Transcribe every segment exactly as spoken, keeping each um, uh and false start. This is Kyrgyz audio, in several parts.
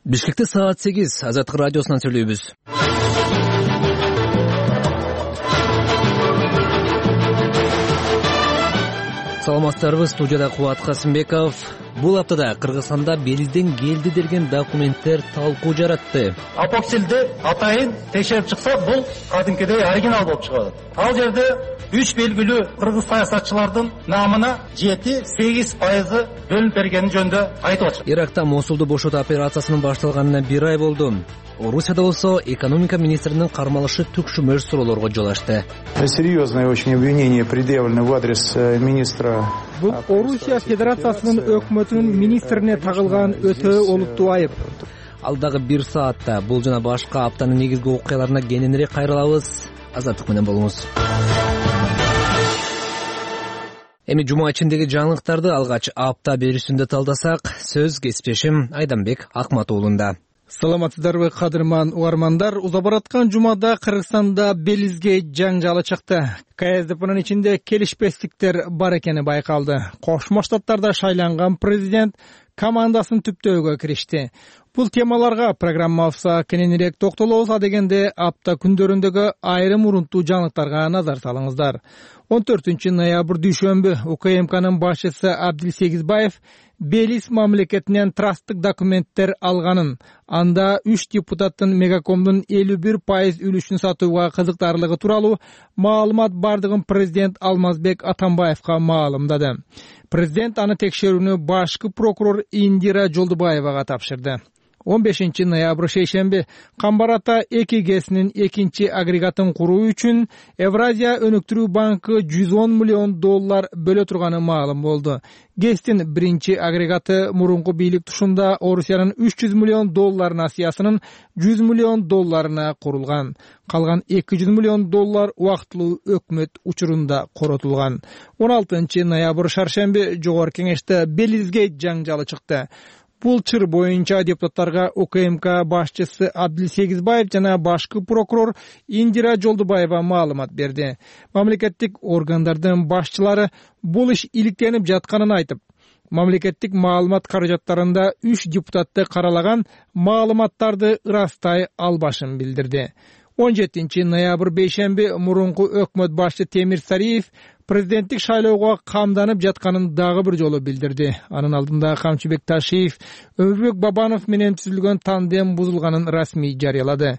Бишкекте саат сегиз, Азаттык радиосунан сүйлөйбүз. Саламатсыздарбы, студияда Кубат Касымбеков. Бул аптада Кыргызстанда Белизден келди деген документтер талкуу жаратты. Апоксилди атайын текшерип чыкса, бул кадимкидей оригинал болуп чыгат. Ал жерде үч белгилүү кыргыз саясатчылардын намына жети-сегиз пайызы бөлүнүп бергени жөнүндө айтып атышат. Иракта Мосулду бошотуу операциясынын башталганына бир ай болду. Орусияда болсо экономика министринин кармалышы түкшүмөш суроолорго жол ачты. Серьезное очень обвинение предъявлено в адрес министра. Бул Орусия Федерациясынын өкмөтүнүн министрине тагылган өтө олуттуу айып. Алдагы бир саатта бул жана башка аптанын негизги окуяларына кененирээк кайрылабыз. Азаттык менен болуңуз. Эми жума ичиндеги жаңылыктарды алгач апта берүүсүндө талдасак, сөз кесиптешим Айданбек Акматуулунда. Саламатсыздарбы, кадырман угармандар. Уза бараткан жумада Кыргызстанда Белизге жаңжалы чыкты. КСДПнын ичинде келишпестиктер бар экени байкалды. Кошмо Штаттарда шайланган президент командасын түптөөгө киришти. Бул темаларга программабызда кененирээк токтолобуз дегенде апта күндөрүндөгү айрым урунттуу жаңылыктарга назар салыңыздар. он төртүнчү ноябрь дүйшөмбү УКМКнын башчысы Абдилсегизбаев Белиз мамлекетинен трасттык документтер алганын, анда үч депутаттын Мегакомдун элүү бир пайыз үлүшүн сатууга кызыктарлыгы тууралуу маалымат бардыгын президент Алмазбек Атамбаевга маалымдады. Президент аны текшерүүнү башкы прокурор Индира Жолдубаевага тапшырды. он бешинчи ноябрь шейшемби Камбар ата эки гэсинин экинчи агрегатын куруу үчүн Евразия өнүктүрүү банкы жүз он миллион доллар бөлө турганы маалым болду. гэстин биринчи агрегаты мурунку бийлик тушунда Орусиянын үч жүз миллион доллар насыясынын жүз миллион долларына курулган. Калган эки жүз миллион доллар убактылуу өкмөт учурунда коротулган. он алтынчы ноябрь шаршемби Жогорку Кеңеште Белизге жаңжалы чыкты. Бул чыр боюнча депутаттарга УКМК башчысы Абдилсегизбаев жана башкы прокурор Индира Жолдубаева маалымат берди. Мамлекеттик органдардын башчылары бул иш иликтенип жатканын айтып, мамлекеттик маалымат каражаттарында үч депутатты каралаган маалыматтарды ырастай албашын билдирди. он жетинчи ноябрь бейшемби мурунку өкмөт башчы Темир Сариев президенттик шайлоого камданып жатканын дагы бир жолу билдирди. Анын алдында Камчыбек Ташиев Өмүрбек Бабанов менен түзүлгөн тандем бузулганын расмий жарыялады.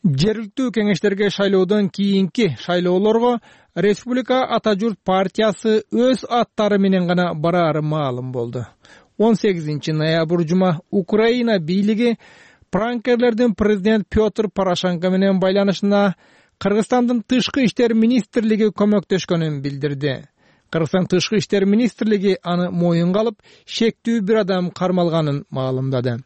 Жергиликтүү кеңештерге шайлоодон кийинки шайлоолорго Республика Ата журт партиясы өз аттары менен гана бараары маалым болду. он сегизинчи ноябрь жума Украина бийлиги пранкерлердин президент Петр Порошенко менен байланышына Кыргызстандын тышкы иштер министрлиги көмөктөшкөнүн билдирди. Кыргызстан тышкы иштер министрлиги аны моюнга алып, шектүү бир адам кармалганын маалымдады.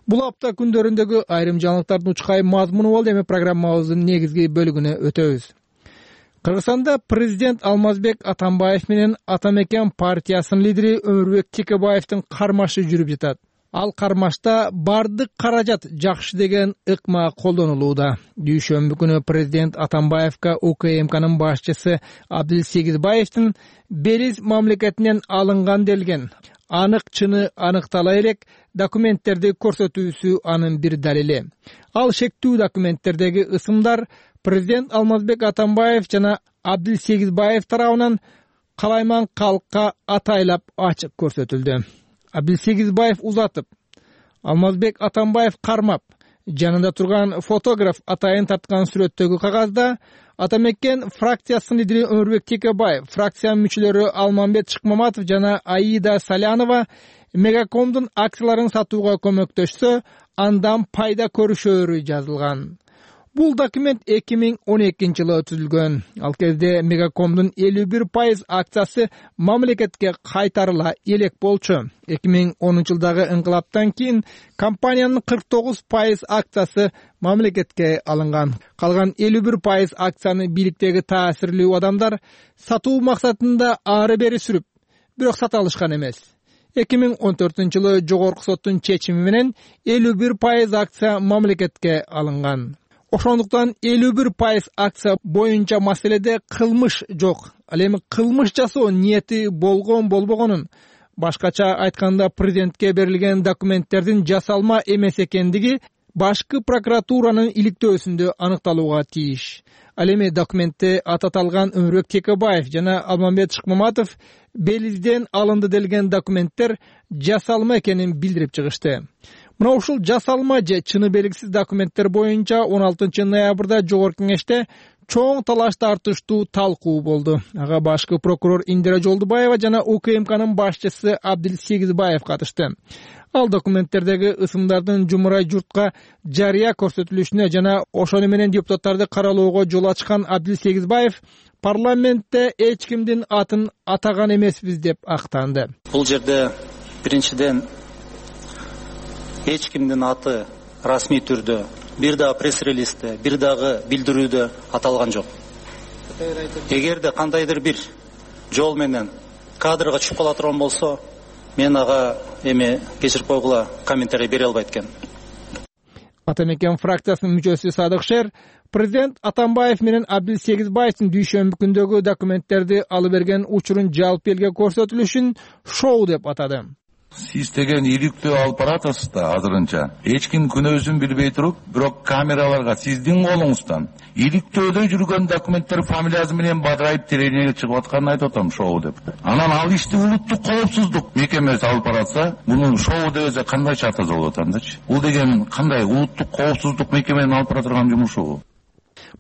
Бул апта күндөрүндөгү айрым жаңылыктардын учкай мазмуну болду. Эми программабыздын негизги бөлүгүнө өтөбүз. Кыргызстанда президент Алмазбек Атамбаев менен Атамекен партиясынын лидери Өмүрбек Текебаевдин кармашы жүрүп жатат. Ал кармашта бардык каражат жакшы деген ыкма колдонулууда. Дүйшөмбү күнү президент Атамбаевга УКМКнын башчысы Абдилсегизбаевдин Белиз мамлекетинен алынган делген анык чыны аныктала элек документтерди көрсөтүүсү анын бир далили. Ал шектүү документтердеги ысымдар президент Алмазбек Атамбаев жана Абдилсегизбаев тарабынан калайман калкка атайлап ачык көрсөтүлдү. Абдилсегизбаев узатып, Алмазбек Атамбаев кармап, жанында турган фотограф атайын тарткан сүрөттөгү кагазда Атамекен фракциясынын лидери Өмүрбек Текебаев, фракциянын мүчөлөрү Алмамбет Шыкмаматов жана Аида Салянова Мегакомдун акцияларын сатууга көмөктөшсө, андан пайда көрүшөөрү жазылган. Бул документ эки миң он экинчи жылы түзүлгөн. Ал кезде Мегакомдун элүү бир пайыз акциясы мамлекетке кайтарыла элек болчу. эки миң онунчу жылдагы ыңкылаптан кийин компаниянын кырк тогуз пайыз акциясы мамлекетке алынган. Калган элүү бир пайыз акцияны бийликтеги таасирлүү адамдар сатуу максатында ары бери сүрүп, бирок сата алышкан эмес. эки миң он төртүнчү жылы Жогорку соттун чечими менен элүү бир пайыз акция мамлекетке алынган. Ошондуктан элүү бир пайыз акция боюнча маселеде кылмыш жок. Ал эми кылмыш жасоо ниети болгон болбогонун, башкача айтканда президентке берилген документтердин жасалма эмес экендиги башкы прокуратуранын иликтөөсүндө аныкталууга тийиш. Ал эми документте аты аталган Өмүрбек Текебаев жана Алмамбет Шыкмаматов Белизден алынды делген документтер жасалма экенин билдирип чыгышты. Мына ушул жасалма же чыны белгисиз документтер боюнча он алтынчы ноябрда Жогорку Кеңеште чоң талаш тартыштуу талкуу болду. Ага башкы прокурор Индира Жолдубаева жана УКМКнын башчысы Абдил Сегизбаев катышты. Ал документтердеги ысымдардын жумурай журтка жарыя көрсөтүлүшүнө жана ошону менен депутаттарды каралоого жол ачкан Абдил Сегизбаев парламентте эч кимдин атын атаган эмеспиз деп актанды. Бул жерде биринчиден эч кимдин аты расмий түрдө бир дагы пресс-релизде, бир дагы билдирүүдө аталган жок. Эгерде кандайдыр бир жол менен кадрга чыгып кала турган болсо, мен ага эми кечирип койгула комментарий бере албайт экен. Ата мекен фракциясынын мүчөсү Садык Шер президент Атамбаев менен Абдил Сегизбаевдин дүйшөмбү күндөгү документтерди алып берген учурун жалпы элге көрсөтүлүшүн шоу деп атады. Сиз деген иликтөө алып баратасыз да азырынча. Эч ким күнөөсүн билбей туруп, бирок камераларга сиздин колуңуздан иликтөөдө жүргөн документтер фамилиясы менен бадырайып тереңге чыгып атканын айтып атам, шоу деп. Анан ал ишти улуттук коопсуздук мекемеси алып баратса, муну шоу десе кандайча атаса болот андачы? Бул деген кандай улуттук коопсуздук мекеменин алып бара турган жумушу?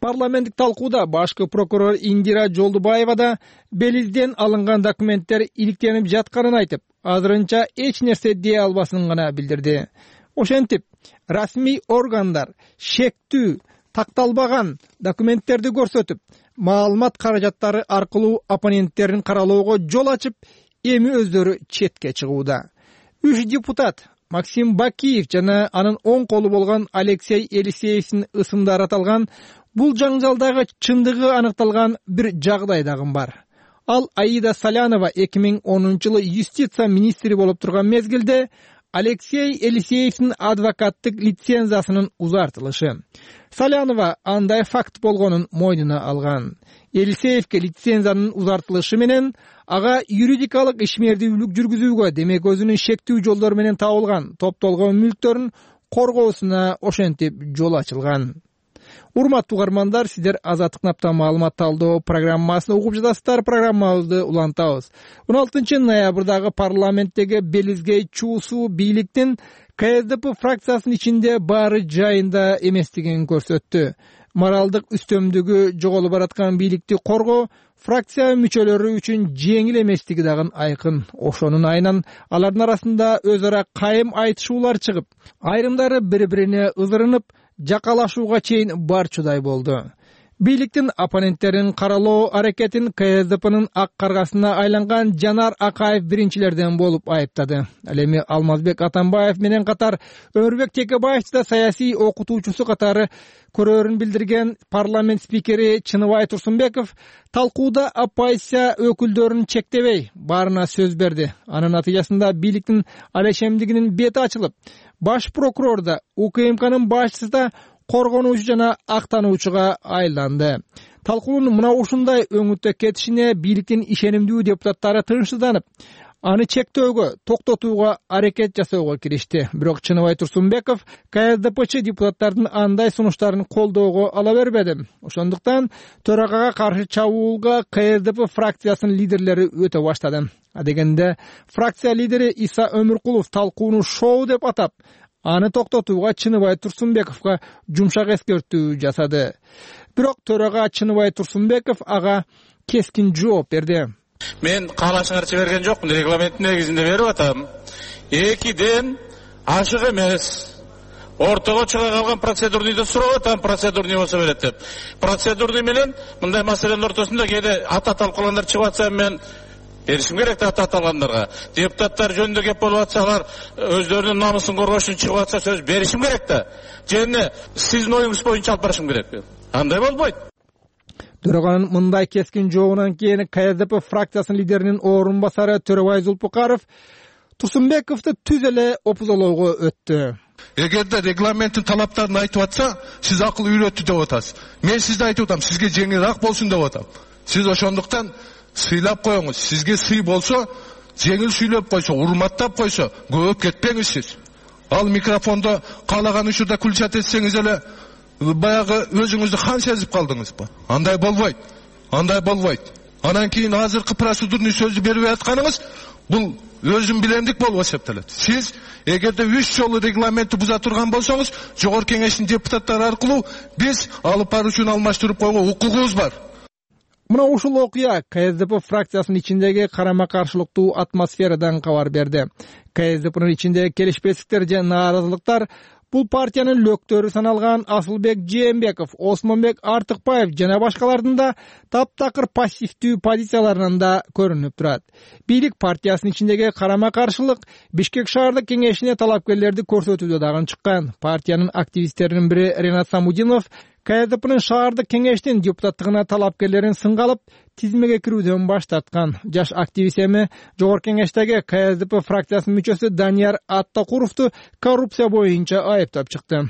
Парламенттик талкууда башкы прокурор Индира Жолдубаева да Белизден алынган документтер иликтенип жатканын айтып, азырынча эч нерсе дей албасын гана билдирди. Ошентип, расмий органдар шектүү, такталбаган документтерди көрсөтүп, маалымат каражаттары аркылуу оппоненттерин каралоого жол ачып, эми өздөрү четке чыгууда. Үч депутат Максим Бакиев жана анын оң колу болгон Алексей Елисеевдин ысымдары аталган бул жаңжалдагы чындыгы аныкталган бир жагдай дагы бар. Ал Аида Салянова эки миң онунчу жылы юстиция министри болуп турган мезгилде Алексей Елисеевдин адвокаттык лицензиясынын узартылышы. Салянова андай факт болгонун мойнуна алган. Елисеевке лицензиянын узартылышы менен ага юридикалык ишмердүүлүк жүргүзүүгө, демек өзүнүн шектүү жолдору менен табылган топтолгон мүлктөрүн коргоосуна ошентип жол ачылган. Урматтуу угармандар, сиздер Азаттык наптан маалымат талдоо программасын угуп жатасыздар. Программабызды улантабыз. он алтынчы ноябрдагы парламенттеги Белизге чуусу бийликтин КСДП фракциясынын ичинде баары жайында эместигин көрсөттү. Моралдык үстөмдүгү жоголуп бараткан бийликти коргоо фракция мүчөлөрү үчүн жеңил эместиги дагы айкын. Ошонун айынан алардын арасында өз ара кайым айтышуулар чыгып, айрымдары бири-бирине ызырынып, жакалашууга чейин барчудай болду. Бийликтин оппоненттерин каралоо аракетин КСДПнын ак каргасына айланган Жанар Акаев биринчилерден болуп айыптады. Ал эми Алмазбек Атамбаев менен катар Өмүрбек Текебаев да саясий окутуучусу катары көрөрүн билдирген парламент спикери Чыныбай Турсунбеков талкууда оппозиция өкүлдөрүн чектебей баарына сөз берди. Анын натыйжасында бийликтин алешемдигинин бети ачылып, баш прокурор да УКМКнын башчысы да коргонуучу жана актануучуга айланды. Талкуунун мына ушундай өңүттө кетишине бийликтин ишенимдүү депутаттары тынчсызданып, аны чектөөгө, токтотууга аракет жасоого киришти. Бирок Чыныбай Турсунбеков КСДПчы депутаттардын андай сунуштарын колдоого ала бербеди. Ошондуктан төрагага каршы чабуулга КСДП фракциясынын лидерлери өтө баштады. Адегенде фракция лидери Иса Өмүркулов талкууну шоу деп атап, аны токтотууга Чыныбай Турсунбековго жумшак эскертүү жасады. Бирок төрага Чыныбай Турсунбеков ага кескин жооп берди. Мен каалашыңарчы берген жокмун, регламенттин негизинде берип атам. Экиден ашык эмес. Ортого чыга калган процедурныйды сурап атам, процедурный болсо берет деп. Процедурный менен мындай маселенин ортосунда кээде ата талкууландар чыгып атса, мен беришим керек да ата талкууландарга. Депутаттар жөнүндө кеп болуп атса, алар өздөрүнүн намысын коргош үчүн чыгып атса, сөз беришим керек да. Жана сиздин оюңуз боюнча алып барышым керек. Андай болбойт. Төраганын мындай кескин жообунан кийин КСДП фракциясынын лидеринин орун басары Төрөбай Зулпукаров Турсунбековду түз эле опузолоого өттү. Эгерде регламенттин талаптарын айтып атса, сиз акыл үйрөттү деп атасыз. Мен сизди айтып атам, сизге жеңилирээк болсун деп атам. Сиз ошондуктан сыйлап коюңуз. Сизге сый болсо, жеңил сүйлөп койсо, урматтап койсо, көп кетпеңиз сиз. Ал микрофондо каалаган учурда күлчат этсеңиз эле баягы өзүңүздү хан сезип калдыңызбы? Андай болбойт. Андай болбойт. Анан кийин азыркы процедурный сөздү берип атканыңыз бул өзүн билемдик болуп эсептелет. Сиз эгерде үч жолу регламентти буза турган болсоңуз, жогорку кеңештин депутаттары аркылуу биз алып баруучуну алмаштырып койгонго укугубуз бар. Мына ушул окуя КСДП фракциясынын ичиндеги карама-каршылыктуу атмосферадан кабар берди. КСДПнын ичинде келишпестиктер же нааразылыктар бул партиянын лөктөрү саналган Асылбек Жээнбеков, Осмонбек Артыкбаев жана башкалардын да таптакыр пассивдүү позицияларынан да көрүнүп турат. Бийлик партиясынын ичиндеги карама-каршылык Бишкек шаардык кеңешине талапкерлерди көрсөтүүдө дагы чыккан. Партиянын активисттеринин бири Ренат Самудинов КСДПнын шаардык кеңештин депутаттыгына талапкерлерин сынга алып, тизмеге кирүүдөн баш тарткан. Жаш активист эми жогорку кеңештеги КСДП фракциясынын мүчөсү Данияр Аттакуровду коррупция боюнча айыптап чыкты.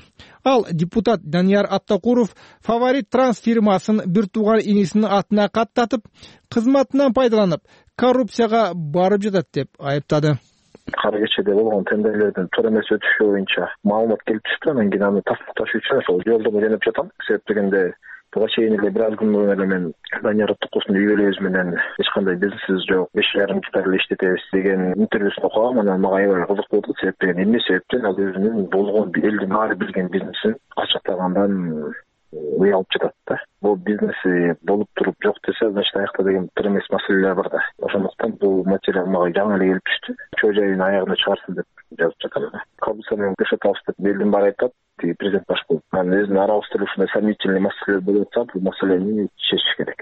Ал депутат Данияр Аттакуров Фаворит Транс фирмасын бир тууган инисинин атына каттатып, кызматынан пайдаланып, коррупцияга барып жатат деп айыптады. Кара кечеде болгон тендерлердин туура эмес өтүшү боюнча маалымат келип түштү. Анан кийин аны тастыкташ үчүн ошол жолдомо жөнөп жатам. Себеп дегенде буга чейин эле бир аз күн мурун эле мен Данияр Аттакуровдун үй бүлөбүз менен эч кандай бизнесибиз жок, беш жарым гектар эле иштетебиз деген интервьюсун окугам. Анан мага аябай кызык болду. Себеп деген эмне себептен ал өзүнүн болгон элдин баары билген бизнесин ачыктагандан уялып жатат да. Бул бизнеси болуп туруп жок десе, значит аякта деген бир эмес маселелер бар да. Ошондуктан бул материал мага жаңы эле келип түштү. Чоо жайын аягына чыгарсын деп жазып жатам. Коррупция менен күрөшөбүз деп элдин баары айтат. Президент баш болуп, анан өзүнүн арабызда ушундай сомнительный маселелер болуп атса, бул маселени чечиш керек.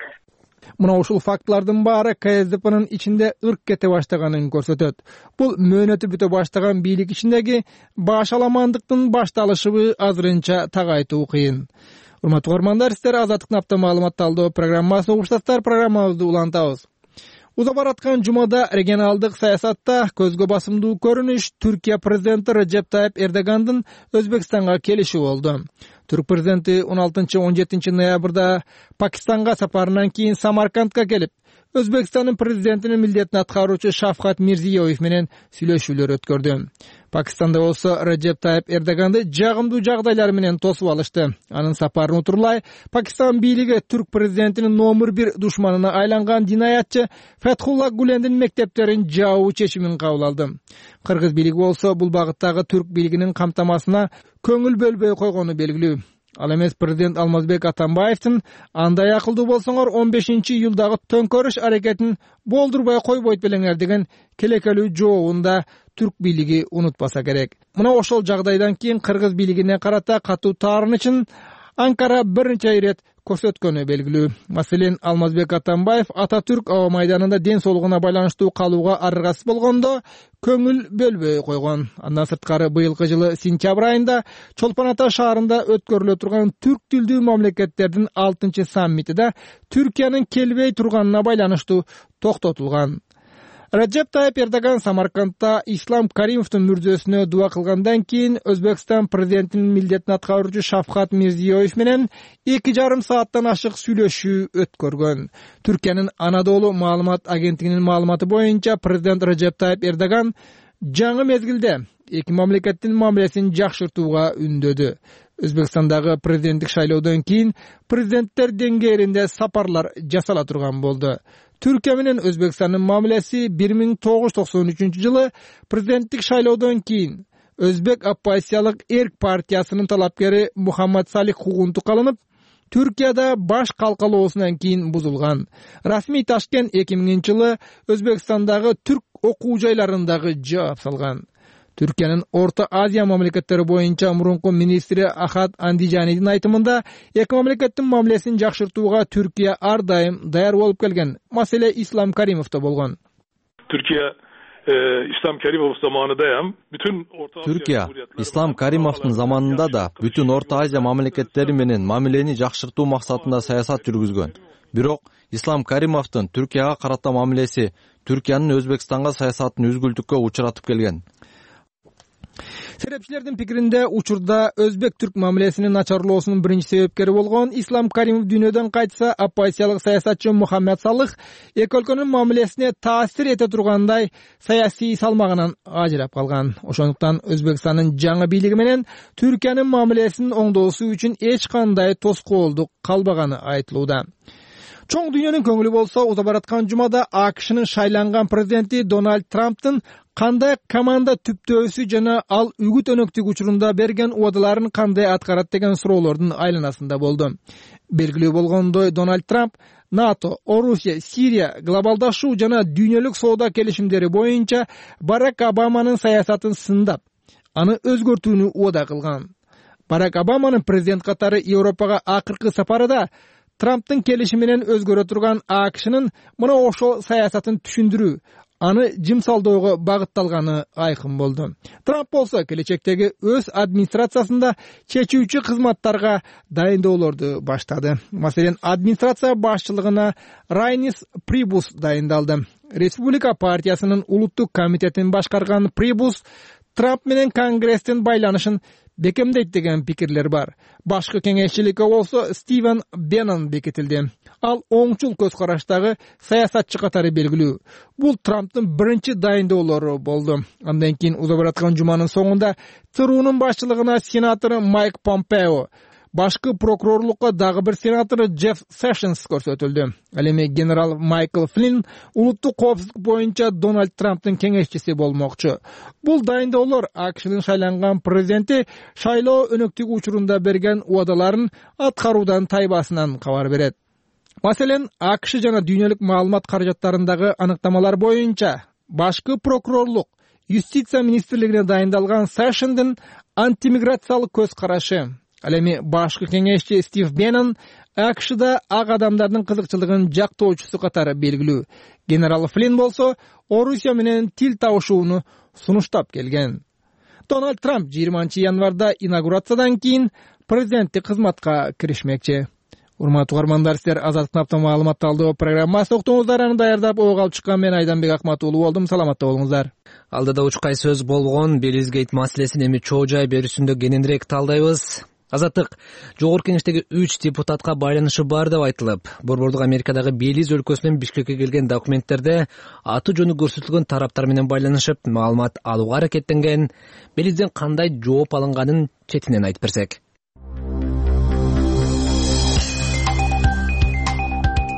Мына ушул фактылардын баары КСДПнын ичинде ырк кете баштаганын көрсөтөт. Бул мөөнөтү бүтө баштаган бийлик ичиндеги баш аламандыктын башталышыбы азырынча так айтуу кыйын. Урматтуу угармандар, сиздер Азаттыктын апта маалымат талдоо программасын угуштасыздар. Программабызды улантабыз. Уза бараткан жумада регионалдык саясатта көзгө басымдуу көрүнүш Түркия президенти Режеп Тайып Эрдогандын Өзбекстанга келиши болду. Түрк президенти он алтынчы он жетинчи ноябрда Пакистанга сапарынан кийин Самаркандга келип, Өзбекстандын президентинин милдетин аткаруучу Шавкат Мирзиёев менен сүйлөшүүлөр өткөрдү. Пакистанда болсо Режеп Тайып Эрдоганды жагымдуу жагдайлар менен тосуп алышты. Анын сапарын утурлай Пакистан бийлиги түрк президентинин номер бир душманына айланган динаятчы Фетхулла Гулендин мектептерин жабуу чечимин кабыл алды. Кыргыз бийлиги болсо бул багыттагы түрк бийлигинин камтамасына көңүл бөлбөй койгону белгилүү. Ал эмес президент Алмазбек Атамбаевдин андай акылдуу болсоңор он бешинчи июлдагы төңкөрүш аракетин болдурбай койбойт белеңер деген келекелүү жообун да түрк бийлиги унутпаса керек. Мына ошол жагдайдан кийин кыргыз бийлигине карата катуу таарынычын Анкара бир нече ирет көрсөткөнү белгилүү. Маселен, Алмазбек Атамбаев Ататүрк аба майданында ден соолугуна байланыштуу калууга аргасыз болгондо көңүл бөлбөй койгон. Андан сырткары быйылкы жылы сентябрь айында Чолпон Ата шаарында өткөрүлө турган түрк тилдүү мамлекеттердин алтынчы саммити да Түркиянын келбей турганына байланыштуу токтотулган. Режеп Тайып Эрдоган Самаркандта Ислам Каримовдун мүрзөсүнө дуа кылгандан кийин Өзбекстан президентинин милдетин аткаруучу Шавкат Мирзиёев менен эки жарым сааттан ашык сүйлөшүү өткөргөн. Түркиянын Анадолу маалымат агенттигинин маалыматы боюнча президент Режеп Тайып Эрдоган жаңы мезгилде эки мамлекеттин мамилесин жакшыртууга үндөдү. Өзбекстандагы президенттик шайлоодон кийин президенттер деңгээлинде сапарлар жасала турган болду. Түркия менен Өзбекстандын мамилеси бир миң тогуз жүз токсон үчүнчү жылы президенттик шайлоодон кийин Өзбек оппозициялык Эрк партиясынын талапкери Мухаммад Салих Хугунту калынып, Түркияда баш калкалоосунан кийин бузулган. Расмий Ташкент эки миңинчи жылы Өзбекстандагы түрк окуу жайларындагы жаап салган. Түркиянын Орто Азия мамлекеттери боюнча мурунку министри Ахат Андижанидин айтымында эки мамлекеттин мамилесин жакшыртууга Түркия ар дайым даяр болуп келген. Маселе Ислам Каримовдо болгон. Түркия Ислам Каримов заманындayam bütün Orta Asya Türkiya Ислам Каримовдун заманында да бүтүн Орто Азия мамлекеттери менен мамилени жакшыртуу максатында саясат жүргүзгөн. Бирок Ислам Каримовдун Түркияга карата мамилеси Түркиянын Өзбекстанга саясатын үзгүлтүккө учуратып келген. Серепчилердин пикиринде учурда өзбек-түрк мамилесинин начарлоосунун биринчи себепкери болгон Ислам Каримов дүйнөдөн кайтса, оппозициялык саясатчы Мухаммед Салых эки өлкөнүн мамилесине таасир эте тургандай саясий салмагынан ажырап калган. Ошондуктан Өзбекстандын жаңы бийлиги менен Түркиянын мамилесин оңдоосу үчүн эч кандай тоскоолдук калбаганы айтылууда. Чоң дүйнөнүн көңүлү болсо, уза бараткан жумада АКШнын шайланган президенти Дональд Трамптын кандай команда түптөөсү жана ал үгүт өнөктүк учурунда берген убадаларын кандай аткарат деген суроолордун айланасында болду. Белгилүү болгондой, Дональд Трамп НАТО, Орусия, Сирия, глобалдашуу жана дүйнөлүк соода келишимдери боюнча Барак Обаманын саясатын сындап, аны өзгөртүүнү убада кылган. Барак Обаманын президент катары Европага акыркы сапарында Трамптын келишими менен өзгөрө турган АКШнын мына ошол саясатын түшүндүрүү, аны жымсалдоого багытталганы айкын болду. Трамп болсо келечектеги өз администрациясында чечүүчү кызматтарга дайындоолорду баштады. Маселен, администрация башчылыгына Райнис Прибус дайындалды. Республика партиясынын улуттук комитетин башкарган Прибус Трамп менен Конгресстин байланышын бекемдейт деген пикирлер бар. Башкы кеңешчиликке болсо Стивен Беннон бекитилди. Ал оңчул көз караштагы саясатчы катары белгилүү. Бул Трамптын биринчи дайындоолору болду. Андан кийин уза бараткан жуманын соңунда ЦРУнун башчылыгына сенатор Майк Помпео, башкы прокурорлукка дагы бир сенатор Джефф Сэшнс көрсөтүлдү. Ал эми генерал Майкл Флинн улуттук коопсуздук боюнча Дональд Трамптын кеңешчиси болмокчу. Бул дайындоолор АКШнын шайланган президенти шайлоо өнөктүк учурунда берген убадаларын аткаруудан тайбасынан кабар берет. Маселен, АКШ жана дүйнөлүк маалымат каражаттарындагы аныктамалар боюнча башкы прокурорлук, юстиция министрлигине дайындалган Сэшндин антимиграциялык көз карашы. Ал эми башкы кеңешчи Стив Беннон АКШда ак адамдардын кызыкчылыгын жактоочусу катары белгилүү. Генерал Флинн болсо Орусия менен тил табышууну сунуштап келген. Дональд Трамп жыйырманчы январда инаугурациядан кийин президенттик кызматка киришмекчи. Урматтуу угармандар, сиздер Азаттык маалымат алдоо программасы уктуңуздар. Аны даярдап ого алып чыккан мен Айданбек Акмат уулу болдум. Саламатта болуңуздар. Алдыда учкай сөз болгон Белизгейт маселесин эми чоо жай берүүсүндө кененирээк талдайбыз. Азаттык, жогорку кеңештеги үч депутатка байланышы бар деп айтылып, Борбордук Америкадагы Белиз өлкөсүнөн Бишкекке келген документтерде аты жөнү көрсөтүлгөн тараптар менен байланышып, маалымат алууга аракеттенген. Белизден кандай жооп алынганын четинен айтып берсек.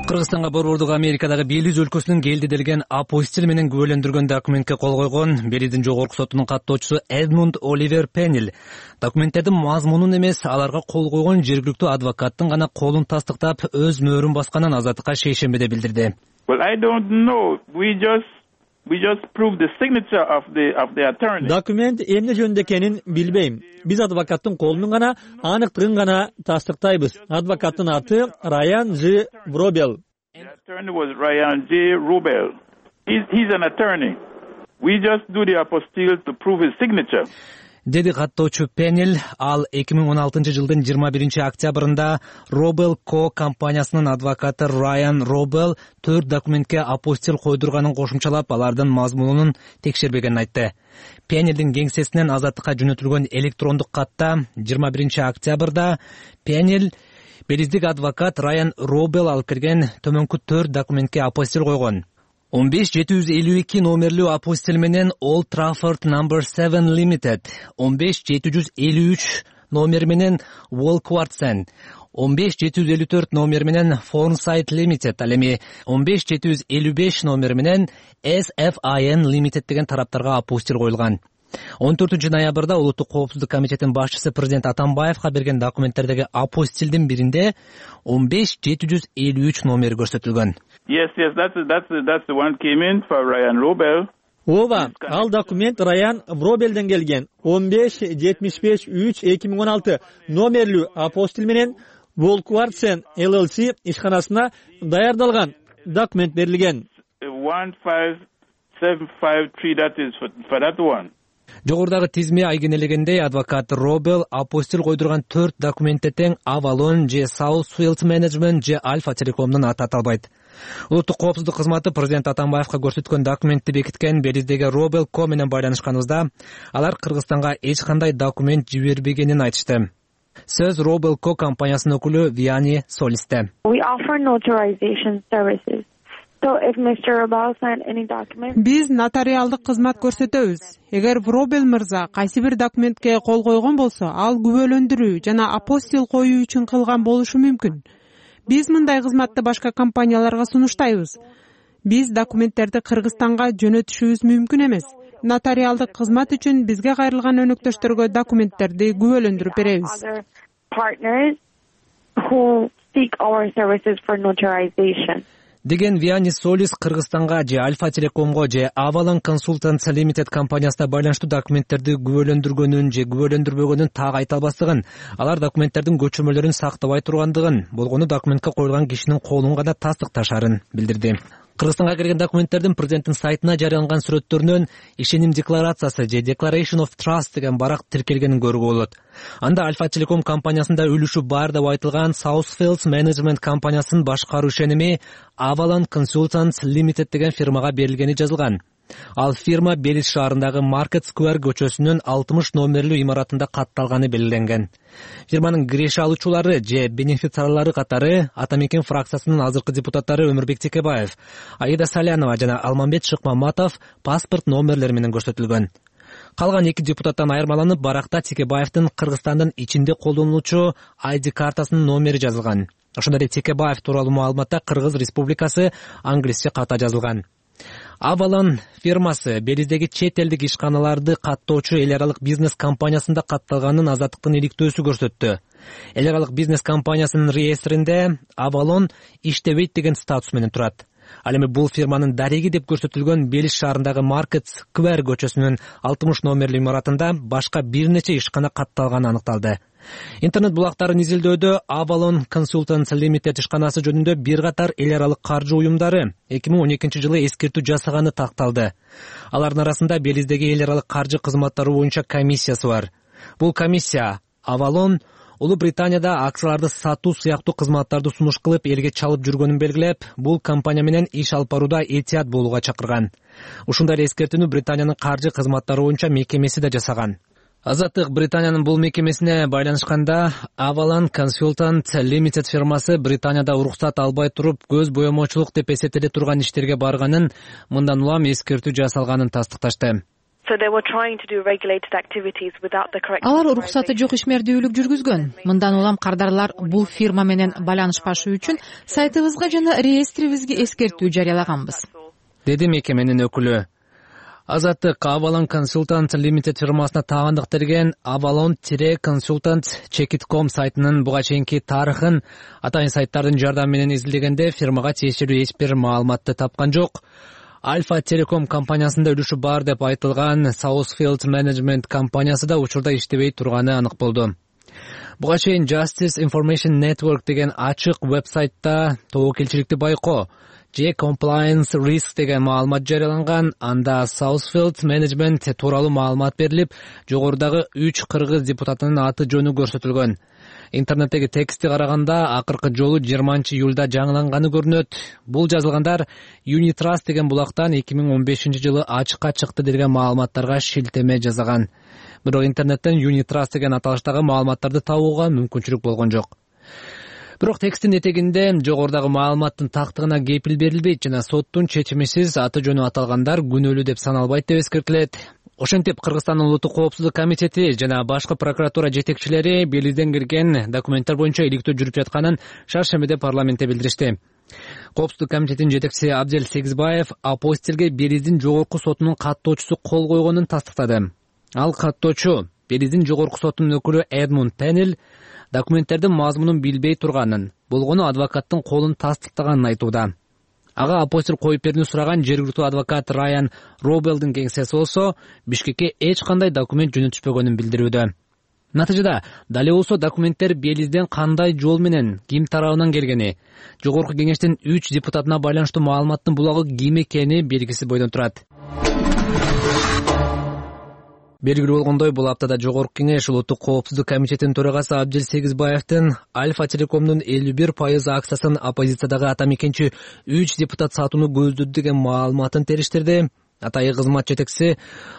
Кыргызстанга Борбордук Америкадагы Белиз өлкөсүнүн келди делген апостил менен күбөлөндүргөн документке кол койгон Белиздин жогорку сотунун каттоочусу Эдмунд Оливер Пеннил документтердин мазмунун эмес, аларга кол койгон жергиликтүү адвокаттын гана колун тастыктап, өз мөөрүн басканын Азаттыкка шейшембиде билдирди. Well, I don't know. We just We just proved the signature of the of the attorney. Документ эмне жөнүндө экенин билбейм. Биз адвокаттын колунун гана аныктыгын гана тастыктайбыз. Адвокаттын аты Райан Ж. Рубел. The attorney was Ryan J. Rubel. He's, he's an attorney. We just do the apostille to prove his signature. Деди каттоочу Пеннил. Ал эки миң он алтынчы жылдын жыйырма биринчи октябрында Робел Ко компаниясынын адвокаты Райан Робел төрт документке апостил койдурганын кошумчалап, алардын мазмунун текшербегенин айтты. Пеннилдин кеңсесинен Азаттыкка жөнөтүлгөн электрондук катта жыйырма биринчи октябрда Пеннил Белиздик адвокат Райан Робел алып келген төмөнкү төрт документке апостил койгон. он беш жети жүз элүү эки номерлүү апостил менен Old Trafford Number seven Limited, он беш жети жүз элүү үч номер менен Walkwartsen, он беш жети жүз элүү төрт номер менен Foresight Limited, ал эми он беш жети жүз элүү беш номер менен эс эф ай эн Limited деген тараптарга апостил коюлган. он төртүнчү ноябрда Улуттук коопсуздук комитетинин башчысы президент Атамбаевга берген документтердеги апостилдин биринде он беш жети жүз элүү үч номери көрсөтүлгөн. Yes, yes, that's that's that's the one came in for Ryan Robel. Ооба, ал документ Раян Робелден келген. он беш жетимиш беш үч эки миң он алты номерлүү апостил менен Walkwartsen эл эл си ишканасына даярдалган документ берилген. one five seven five three, that is for, for that one. Жогорудагы тизме айгинелегендей, адвокат Робел апостил койдурган төрт документте тең Avalon же South Field Management же Alpha Telecom'дун аты аталбайт. Улуттук коопсуздук кызматы президент Атамбаевка көрсөткөн документти бекиткен Белиздеги Robel Co менен байланышканыбызда алар Кыргызстанга эч кандай документ жибербегенин айтышты. Сөз Robel Co компаниясынын өкүлү Виани Солисте. Биз нотариалдык кызмат көрсөтөбүз. Эгер Robel мырза кайсы бир документке кол койгон болсо, ал күбөлөндүрүү жана апостил коюу үчүн кылган болушу мүмкүн. Биз мындай кызматты башка компанияларга сунуштайбыз. Биз документтерди Кыргызстанга жөнөтүшүбүз мүмкүн эмес. Нотариалдык кызмат үчүн бизге кайрылган өнөктөштөргө документтерди күбөлөндүрүп беребиз. Деген Виани Солис Кыргызстанга же Альфа Телекомго же Avalon Consultants Limited компаниясына байланыштуу документтерди күбөлөндүргөнүн же күбөлөндүрбөгөнүн так айта албастыгын, алар документтердин көчүрмөлөрүн сактабай тургандыгын, болгону документке коюлган кишинин колун гана тастыкташарын билдирди. Кыргызстанга келген документтердин президенттин сайтына жарыяланган сүрөттөрүнөн ишеним декларациясы же Declaration of Trust деген барак тиркелгенин көрүүгө болот. Анда Альфа Телеком компаниясында үлүшү бар деп айтылган Southfields Management компаниясынын башкаруу ишеними Avalon Consultants Limited деген фирмага берилгени жазылган. Ал фирма Белиз шаарындагы Market Square көчөсүнүн алтымыш номерлүү имаратында катталганы белгиленген. Фирманын киреше алуучулары же бенефициарлары катары Ата Мекен фракциясынын азыркы депутаттары Өмүрбек Текебаев, Аида Салянова жана Алмамбет Шыкмаматов паспорт номерлери менен көрсөтүлгөн. Калган эки депутаттан айырмаланып, баракта Текебаевдин Кыргызстандын ичинде колдонулуучу ай ди картасынын номери жазылган. Ошондой эле Текебаев тууралуу маалыматта Кыргыз Республикасы англисче ката жазылган. Avalon фирмасы Белиздеги чет элдик ишканаларды каттоочу эл аралык бизнес компаниясында катталганын Азаттыктын иликтөөсү көрсөттү. Эл аралык бизнес компаниясынын реестринде Avalon иштебейт деген статус менен турат. Ал эми бул фирманын дареги деп көрсөтүлгөн Белиз шаарындагы Market Square көчөсүнүн алтымыш номерлүү имаратында башка бир нече ишкана катталганы аныкталды. Интернет булактарын изилдөөдө Avalon Consultants Limited ишканасы жөнүндө бир катар эл аралык каржы уюмдары эки миң он экинчи жылы эскертүү жасаганы такталды. Алардын арасында Белиздеги эл аралык каржы кызматтары боюнча комиссиясы бар. Бул комиссия Avalon Улуу Британияда акцияларды сатуу сыяктуу кызматтарды сунуш кылып элге чалып жүргөнүн белгилеп, бул компания менен иш алып барууда этият болууга чакырган. Ушундай эле эскертүүнү Британиянын каржы кызматтары боюнча мекемеси да жасаган. Азаттык Британиянын бул мекемесине байланышканда Avalon Consultants Limited фирмасы Британияда уруксат албай туруп көз боемочулук деп эсептеле турган иштерге барганын, мындан улам эскертүү жасалганын тастыкташты. Алар уруксаты жок ишмердүүлүк жүргүзгөн. Мындан улам кардарлар бул фирма менен байланышпашы үчүн сайтыбызга жана реестрибизге эскертүү жарыялаганбыз, деди мекеменин өкүлү. Азаттык Avalon Consultants Limited фирмасына тагандык берген Avalon-Consultant Check dot com сайтынын буга чейинки тарыхын атайын сайттардын жардамы менен изилдегенде фирмага тиешелүү эч бир маалыматты тапкан жок. Альфа Телеком компаниясында үлүшү бар деп айтылган Southfields Management компаниясы да учурда иштебей турганы анык болду. Буга чейин Justice Information Network деген ачык вебсайтта тобокелчиликти байкоо же Compliance Risk деген маалымат жарыяланган. Анда Southfields Management тууралуу маалымат берилип, жогорудагы үч кыргыз депутатынын аты жөнү көрсөтүлгөн. Интернеттеги текстти караганда акыркы жолу жыйырманчы июлда жаңыланганы көрүнөт. Бул жазылгандар Unitrust деген булактан эки миң он бешинчи жылы ачыкка чыкты деген маалыматтарга шилтеме жасаган. Бирок интернеттен Unitrust деген аталыштагы маалыматтарды табууга мүмкүнчүлүк болгон жок. Бирок тексттин этегинде жогорудагы маалыматтын тактыгына кепил берилбейт жана соттун чечимисиз аты жөнү аталгандар күнөөлүү деп саналбайт деп эскертилет. Ошентип Кыргызстандын Улуттук коопсуздук комитети жана башкы прокуратура жетекчилери Белизден кирген документтер боюнча иликтөө жүрүп жатканын шаршембиде парламентте билдиришти. Коопсуздук комитетинин жетекчиси Абдел Сегизбаев апостилге Белиздин жогорку сотунун каттоочусу кол койгонун тастыктады. Ал каттоочу Белиздин жогорку сотунун өкүлү Эдмунд Пеннел документтердин мазмунун билбей турганын, болгону адвокаттын колун тастыктаганын айтууда. Ага апостил коюп берүүнү сураган жергиликтүү адвокат Райан Робелдин кеңсеси болсо Бишкекке эч кандай документ жөнөтүшпөгөнүн билдирүүдө. Натыйжада дал болсо документтер Белизден кандай жол менен, ким тарабынан келгени, жогорку кеңештин үч депутатына байланыштуу маалыматтын булагы ким экени белгисиз бойдон турат. Белгилүү болгондой, бул аптада Жогорку Кеңеш Улуттук коопсуздук комитетинин төрагасы Абдил Сегизбаевдин Альфа Телекомдун элүү бир пайыз акциясын оппозициядагы ата мекенчи үч депутат сатууну көздөдү деген маалыматын териштирди. Атайын кызмат жетекчиси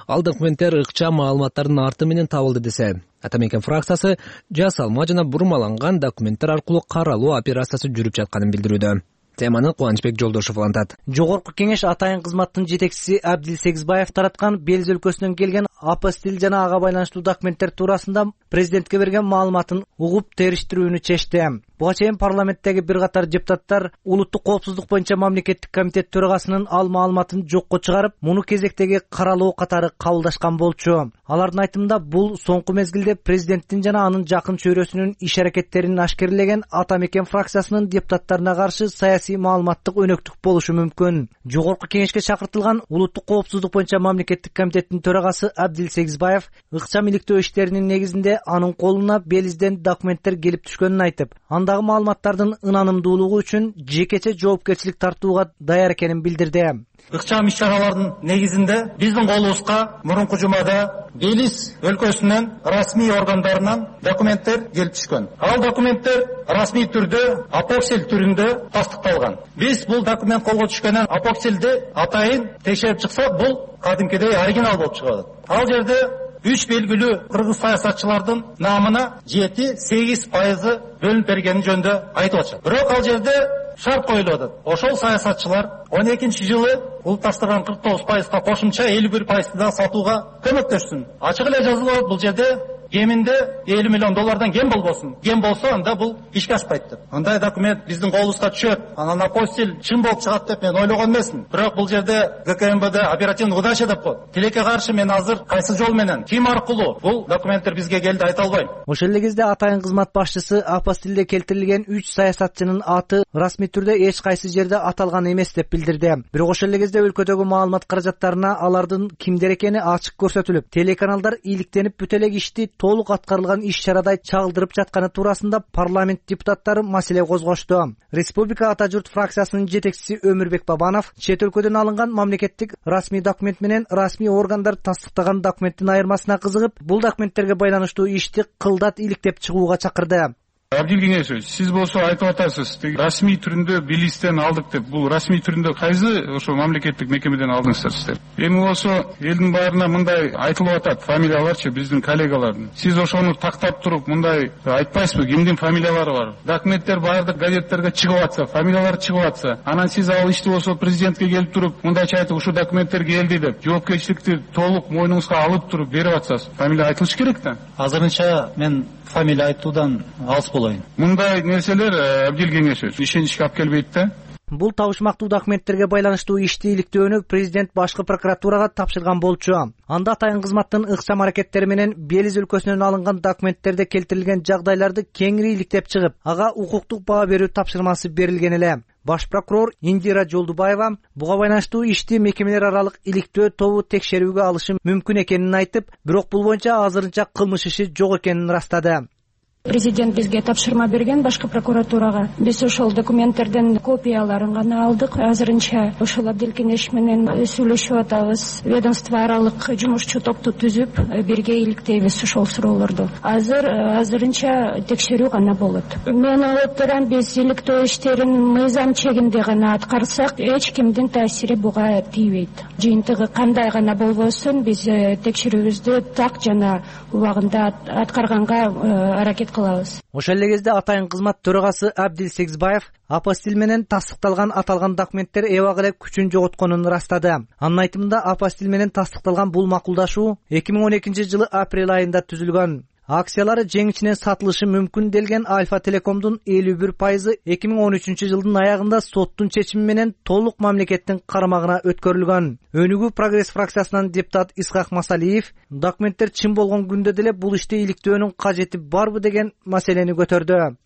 ал документтер ыкчам маалыматтардын арты менен табылды десе, ата мекен фракциясы жасалма жана бурмаланган документтер аркылуу каралуу операциясы жүрүп жатканын билдирүүдө. Теманы Кубанычбек Жолдошов улантат. Жогорку Кеңеш атайын кызматтын жетекчиси Абдил Сегизбаев тараткан Белиз өлкөсүнөн келген апостиль жана ага байланыштуу документтер туурасында президентке берген маалыматын угуп териштирүүнү чечти. Буга чейин парламенттеги бир катар депутаттар улуттук коопсуздук боюнча мамлекеттик комитет төрагасынын ал маалыматын жокко чыгарып, муну кезектеги каралоо катары кабылдашкан болчу. Алардын айтымында бул соңку мезгилде президенттин жана анын жакын чөйрөсүнүн иш-аракеттерин ашкерлеген ата мекен фракциясынын депутаттарына каршы саясий маалыматтык өнөктүк болушу мүмкүн. Жогорку Кеңешке чакыртылган улуттук коопсуздук боюнча мамлекеттик комитеттин төрагасы Абдил Сегизбаев ыкчам иликтөө иштеринин негизинде анын колуна Белизден документтер келип түшкөнүн айтып, андагы маалыматтардын ынанымдуулугу үчүн жекече жоопкерчилик тартууга даяр экенин билдирди. Ыкчам иш-чаралардын негизинде биздин колубузга мурунку жумада Белиз өлкөсүнүн расмий органдарынан документтер келип түшкөн. Ал документтер расмий түрдө апоксиль түрүндө тастыкталган. Биз бул документ колго түшкөндөн апоксилди атайын текшерип чыксак, бул кадимкидей оригинал болуп чыгат. Ал жерде үч белгилүү кыргыз саясатчылардын намына жети сегиз пайызы бөлүнүп бергени жөнүндө айтып атышат. Бирок ал жерде шарт коюлуп атат. Ошол саясатчылар он экинчи жылы улутташтырган кырк тогуз пайызга кошумча элүү бир пайызды да сатууга көмөктөшсүн. Ачык эле жазылып, бул жерде кеминде элүү миллион доллардан кем болбосун. Кем болсо, анда бул ишке ашпайт деп. Андай документ биздин колубузга түшөт. Анан апостиль чын болуп чыгат деп мен ойлогон эмесмин. Бирок бул жерде ГКМБД оперативный удача деп коет. Тилекке каршы мен азыр кайсы жол менен, ким аркылуу бул документтер бизге келди айта албайм. Ошол эле кезде атайын кызмат башчысы апостилде келтирилген үч саясатчынын аты расмий түрдө эч кайсы жерде аталган эмес деп билдирди. Бирок ошол эле кезде өлкөдөгү маалымат каражаттарына алардын кимдер экени ачык көрсөтүлүп, телеканалдар ийгиликтенип бүт эле ишти толук аткарылган иш-чарадай чагылдырып жатканы туурасында парламент депутаттары маселе козгошту. Республика Ата журт фракциясынын жетекчиси Өмүрбек Бабанов чет өлкөдөн алынган мамлекеттик расмий документ менен расмий органдар тастыктаган документтин айырмасына кызыгып, бул документтерге байланыштуу ишти кылдат иликтеп чыгууга чакырды. Абдил Кеңешович, сиз болсо айтып атасыз, расмий түрүндө Белизден алдык деп. Бул расмий түрүндө кайсы ошо мамлекеттик мекемеден алдыңыздар сиздер? Эми болсо элдин баарына мындай айтылып атат, фамилияларчы биздин коллегалардын. Сиз ошону тактап туруп мындай айтпайсызбы, кимдин фамилиялары бар? Документтер баардык газеттерге чыгып атса, фамилиялар чыгып атса, анан сиз ал ишти болсо президентке келип туруп, мындайча айтып, ушул документтер келди деп, жоопкерчиликти толук мойнуңузга алып туруп берип атсаңыз, фамилия айтылыш керек да. Азырынча мен фамилия айтуудан алыс болоюн. Мындай нерселер Абдил Кеңешович ишеничке алып келбейт да. Бул табышмактуу документтерге байланыштуу ишти иликтөөнү президент башкы прокуратурага тапшырган болчу. Анда атайын кызматтын ыкчам аракеттери менен Белиз өлкөсүнөн алынган документтерде келтирилген жагдайларды кеңири иликтеп чыгып, ага укуктук баа берүү тапшырмасы берилген эле. Баш прокурор Индира Жолдубаева буга байланыштуу ишти мекемелер аралык иликтөө тобу текшерүүгө алышы мүмкүн экенин айтып, бирок бул боюнча азырынча кылмыш иши жок экенин ырастады. Президент бизге тапшырма берген башкы прокуратурага. Биз ошол документтердин копияларын гана алдык. Азырынча ошол Абдил Кеңеш менен сүйлөшүп атабыз. Ведомство аралык жумушчу топту түзүп, бирге иликтейбиз ошол суроолорду. Азыр азырынча текшерүү гана болот. Мен ойлоп турам, биз иликтөө иштерин мыйзам чегинде гана аткарсак, эч кимдин таасири буга тийбейт. Жыйынтыгы кандай гана болбосун, биз текшерүүбүздү так жана убагында аткарганга аракет кылабыз. Ошол эле кезде атайын кызмат төрагасы Абдил Сегизбаев апостиль менен тастыкталган аталган документтер эбак эле күчүн жоготконун ырастады. Анын айтымында апостиль менен тастыкталган бул макулдашуу эки миң он экинчи жылы апрель айында түзүлгөн. Акциялары жеңичинен сатылышы мүмкүн делген Альфа Телекомдун элүү бир пайызы эки миң он үчүнчү жылдын аягында соттун чечими менен толук мамлекеттин карамагына өткөрүлгөн. Өнүгүү Прогресс фракциясынан депутат Исхак Масалиев документтер чын болгон күндө деле бул ишти иликтөөнүн кажети барбы деген маселени көтөрдү.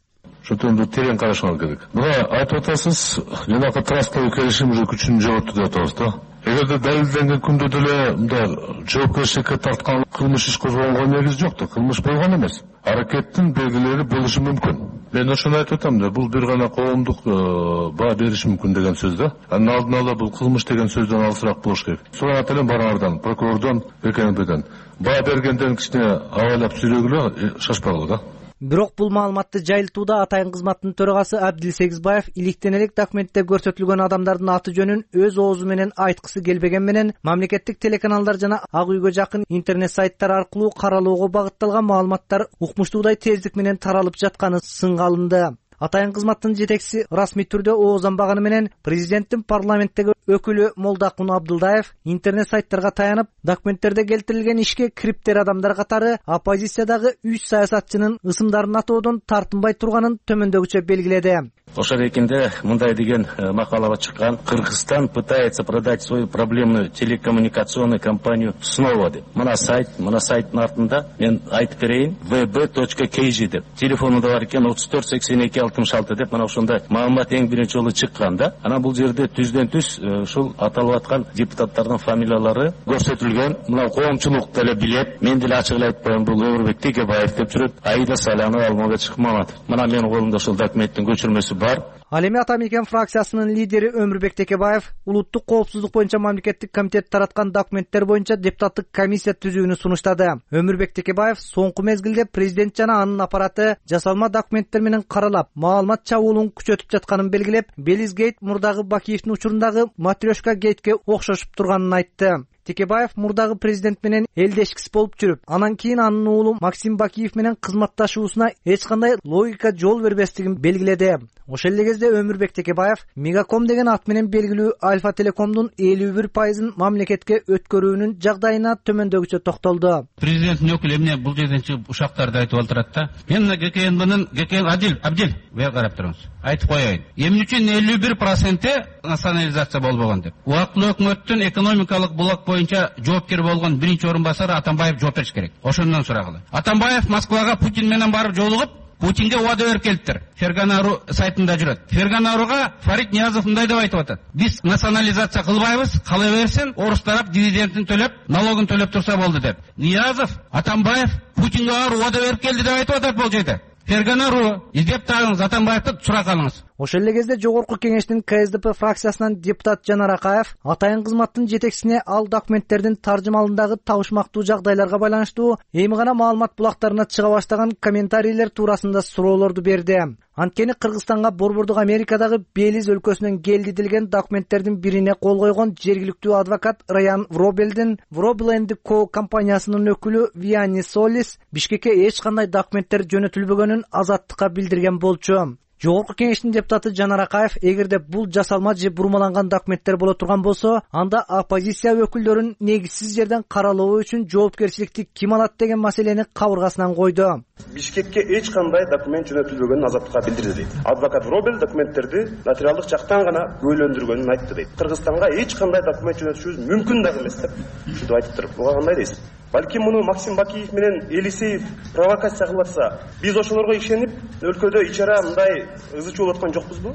Шотунду терең карашыңар керек. Мына айтып атасыз, жанагы трасттагы келишим уже күчүн жоготту деп атабыз да. эгерде далилденген күндө деле мындай жоопкерчиликке тарткан кылмыш иш козгонгонго негиз жок да, кылмыш болгон эмес. Аракеттин белгилери болушу мүмкүн. Мен ошону айтып атам да, бул бир гана коомдук баа бериши мүмкүн деген сөз да. Анын алдын ала бул кылмыш деген сөздөн алысыраак болуш керек. Сурап элем барыңардан, прокурордон, БКМБден. Баа бергенден кичине абайлап сүйлөгүлө, шашпагыла да. Бирок бул маалыматты жайылтууда атайын кызматтын төрагасы Абдил Сегизбаев иликтен элек документте көрсөтүлгөн адамдардын аты жөнүн өз оозу менен айткысы келбеген менен мамлекеттик телеканалдар жана Ак үйгө жакын интернет сайттар аркылуу каралоого багытталган маалыматтар укмуштуудай тездик менен таралып жатканы сынга алынды. Атайын кызматтын жетекчиси расмий түрдө оозданбаганы менен президенттин парламенттеги өкүлү Молдакун Абдылдаев интернет сайттарга таянып, документтерде келтирилген ишке кириптер адамдар катары оппозициядагы үч саясатчынын ысымдарын атоодон тартынбай турганын төмөндөгүчө белгиледи. Ошол экинде мындай деген макалага чыккан: Кыргызстан пытается продать свою проблемную телекоммуникационную компанию снова деп. Мына сайт, мына сайттын артында мен айтып берейин, вэ бэ точка кей жи деп. Телефонунда бар экен отуз төрт сексен эки алтымыш алты деп, мына ошондой маалымат эң биринчи жолу чыккан да. Анан бул жерде түздөн түз ушул аталып аткан депутаттардын фамилиялары көрсөтүлгөн. Мына коомчулук деле билет. Мен деле ачык эле айтып коеюн, бул Өмүрбек Текебаев деп жүрөт. Аида Салянова, Алмабек Чыкмаматов. Мына менин колумда ошол документтин көчүрмөсү бар. Ал эми Атамекен фракциясынын лидери Өмүрбек Текебаев улуттук коопсуздук боюнча мамлекеттик комитет тараткан документтер боюнча депутаттык комиссия түзүүнү сунуштады. Өмүрбек Текебаев соңку мезгилде президент жана анын аппараты жасалма документтер менен каралап, маалымат чабуулун күчөтүп жатканын белгилеп, Белиз гейт мурдагы Бакиевдин учурундагы Матрешка гейтке окшошуп турганын айтты. Текебаев мурдагы президент менен элдешкис болуп жүрүп, анан кийин анын уулу Максим Бакиев менен кызматташуусуна эч кандай логика жол бербестигин белгиледи. Ошол эле кезде Өмүрбек Текебаев Мегаком деген ат менен белгилүү Альфа Телекомдун элүү бир пайызын мамлекетке өткөрүүнүн жагдайына төмөндөгүчө токтолду. Президенттин өкүлү эмне бул жерден чыгып ушактарды айтып отурат да. Мен мына ГКНБнын ГКН Адил, Абдил, бер карап туруңуз. Айтып коеюн. Эмне үчүн элүү бир проценти национализация болбогон деп. Убактылуу өкмөттүн экономикалык блок боюнча жоопкер болгон биринчи орун басары Атамбаев жооп бериш керек. Ошондон сурагыла. Атамбаев Москвага Путин менен барып жолугуп, Путинге убада берип келиптир. Ферганару сайтында жүрөт. Ферганаруга Фарид Ниязов мындай деп айтып атат: биз национализация кылбайбыз, кала берсин, орус тарап дивидендин төлөп, налогун төлөп турса болду деп. Ниязов, Атамбаев Путинге барып убада берип келди деп айтып атат бул жерде. Ферганару издеп тагыңыз, Атамбаевди сурак алыңыз. Ошол эле кезде жогорку кеңештин ка эс дэ пэ фракциясынан депутат Жанар Акаев атайын кызматтын жетекчисине ал документтердин таржымалындагы табышмактуу жагдайларга байланыштуу эми гана маалымат булактарына чыга баштаган комментарийлер туурасында суроолорду берди. Анткени Кыргызстанга борбордук Америкадагы Белиз өлкөсүнөн келди делген документтердин бирине кол койгон жергиликтүү адвокат Раян Вробелдин Вробел энд ко компаниясынын өкүлү Виани Солис Бишкекке эч кандай документтер жөнөтүлбөгөнүн Азаттыкка билдирген болчу. Жогорку кеңештин депутаты Жанар Акаев эгерде бул жасалма же бурмаланган документтер боло турган болсо, анда оппозиция өкүлдөрүн негизсиз жерден каралоо үчүн жоопкерчиликти ким алат деген маселени кабыргасынан койду. Бишкекке эч кандай документ жөнөтүлбөгөнүн Азаттыкка билдирди дейт. Адвокат Робел документтерди нотариалдык жактан гана көйлөндүргөнүн айтты дейт. Кыргызстанга эч кандай документ жөнөтүшүбүз мүмкүн дагы эмес деп ушинтип айтыптыр. Буга кандай дейсиз? Балким муну Максим Бакиев менен Элисеев провокация кылып атса, биз ошолорго ишенип, өлкөдө ичара мындай ызы чуу болуп аткан жокпузбу?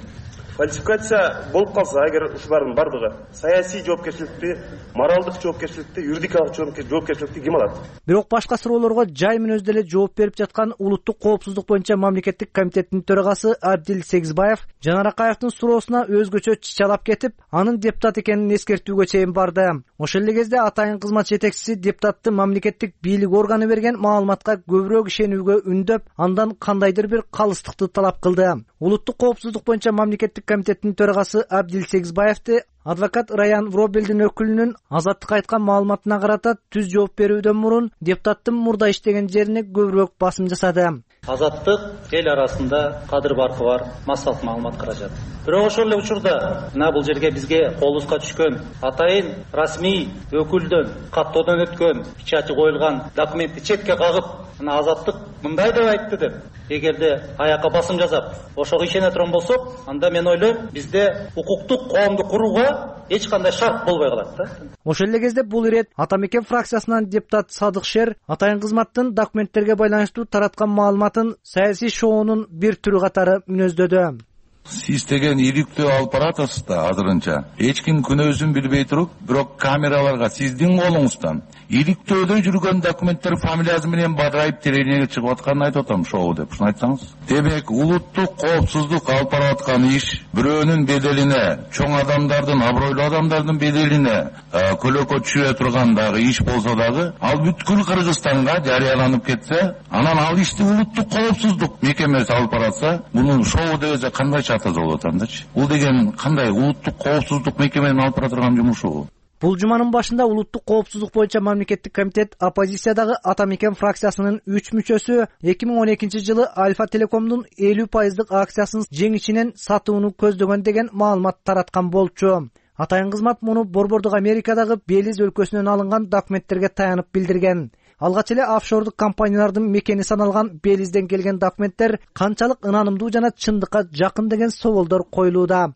Фальсификация болуп калса, эгер ушулардын бардыгы саясий жоопкерчиликти, моралдык жоопкерчиликти, юридикалык жоопкерчиликти ким алат? Бирок башка суроолорго жай мүнөздө эле жооп берип жаткан улуттук коопсуздук боюнча мамлекеттик комитеттин төрагасы Абдил Сегизбаев Жанар Акаевдин суроосуна өзгөчө чычалап кетип, анын депутат экенин эскертүүгө чейин барды. Ошол эле кезде атайын кызмат жетекчиси депутатты мамлекеттик бийлик органы берген маалыматка көбүрөөк ишенүүгө үндөп, андан кандайдыр бир калыстыкты талап кылды. Улуттук коопсуздук боюнча мамлекеттик комитеттин төрагасы Абдил Сегизбаевди адвокат Раян Вробелдин өкүлүнүн Азаттыкка айткан маалыматына карата түз жооп берүүдөн мурун депутаттын мурда иштеген жерине көбүрөөк басым жасады. Азаттык эл арасында кадыр баркы бар массалык маалымат каражат. Бирок ошол эле учурда мына бул жерге бизге колубузга түшкөн атайын расмий өкүлдөн каттоодон өткөн печати коюлган документти четке кагып, мына Азаттык мындай деп айтты деп, эгерде аякка басым жасап ошого ишене турган болсок, анда мен ойлойм, бизде укуктук коомду курууга эч кандай шарт болбой калат да. Ошол эле кезде бул ирет Атамекен фракциясынан депутат Садык Шер атайын кызматтын документтерге байланыштуу тараткан маалыматын саясий шоунун бир түрү катары мүнөздөдү. Сиз деген иликтөө алып баратасыз да азырынча. Эч ким күнөөсүн билбей туруп, бирок камераларга сиздин колуңуздан иликтөөдө жүргөн документтер фамилиясы менен бадырайып телевидениеге чыгып атканын айтып атам, шоу деп. Ушуну айтсаңыз. Демек, улуттук коопсуздук алып барып аткан иш бирөөнүн беделине, чоң адамдардын, абройлуу адамдардын беделине көлөкө түшүрө турган дагы иш болсо дагы, ал бүткүл Кыргызстанга жарыяланып кетсе, анан ал ишти улуттук коопсуздук мекемеси алып баратса, муну шоу десе кандай чатасы болот андачы? Бул деген кандай улуттук коопсуздук мекеменин алып бара турган жумушу? Бул жуманын башында улуттук коопсуздук боюнча мамлекеттик комитет оппозициядагы Ата Мекен фракциясынын үч мүчөсү эки миң он экинчи жылы Альфа Телекомдун элүү пайыздык акциясын жеңишинен сатууну көздөгөн деген маалымат тараткан болчу. Атайын кызмат муну Борбордук Америкадагы Белиз өлкөсүнөн алынган документтерге таянып билдирген. Алгач эле офшордук компаниялардын мекени саналган Белизден келген документтер канчалык ынанымдуу жана чындыкка жакын деген соолдор коюлууда.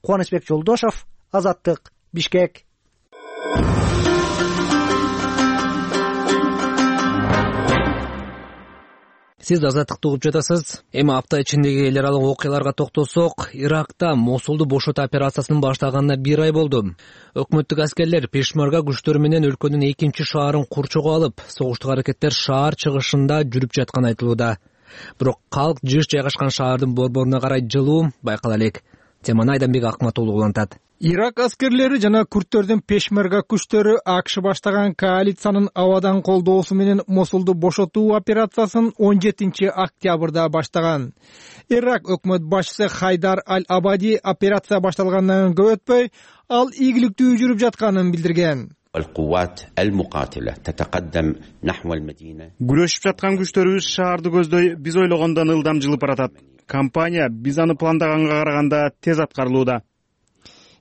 Кубанычбек Жолдошов, Азаттык, Бишкек. Сиз Азаттыкты угуп жатасыз. Эми апта ичиндеги эл аралык окуяларга токтолсок, Иракта Мосулду бошотуу операциясынын баштаганына бир ай болду. Өкмөттүк аскерлер Пешмарга күчтөрү менен өлкөнүн экинчи шаарын курчоого алып, согуштук аракеттер шаар чыгышында жүрүп жатканы айтылууда. Бирок калк жыш жайгашкан шаардын борборуна карай жылуу байкала элек. Теманы Айданбек Акматуулу улантат. Ирак аскерлери жана күрттөрдүн Пешмерга күчтөрү АКШ баштаган коалициянын абадан колдоосу менен Мосулду бошотуу операциясын он жетинчи октябрда баштаган. Ирак өкмөт башчысы Хайдар Аль-Абади операция башталгандан көп өтпөй, ал ийгиликтүү жүрүп жатканын билдирген. Күрөшүп жаткан күчтөрүбүз шаарды көздөй биз ойлогондон ылдам жылып баратат. Компания биз аны пландаганга караганда тез аткарылууда.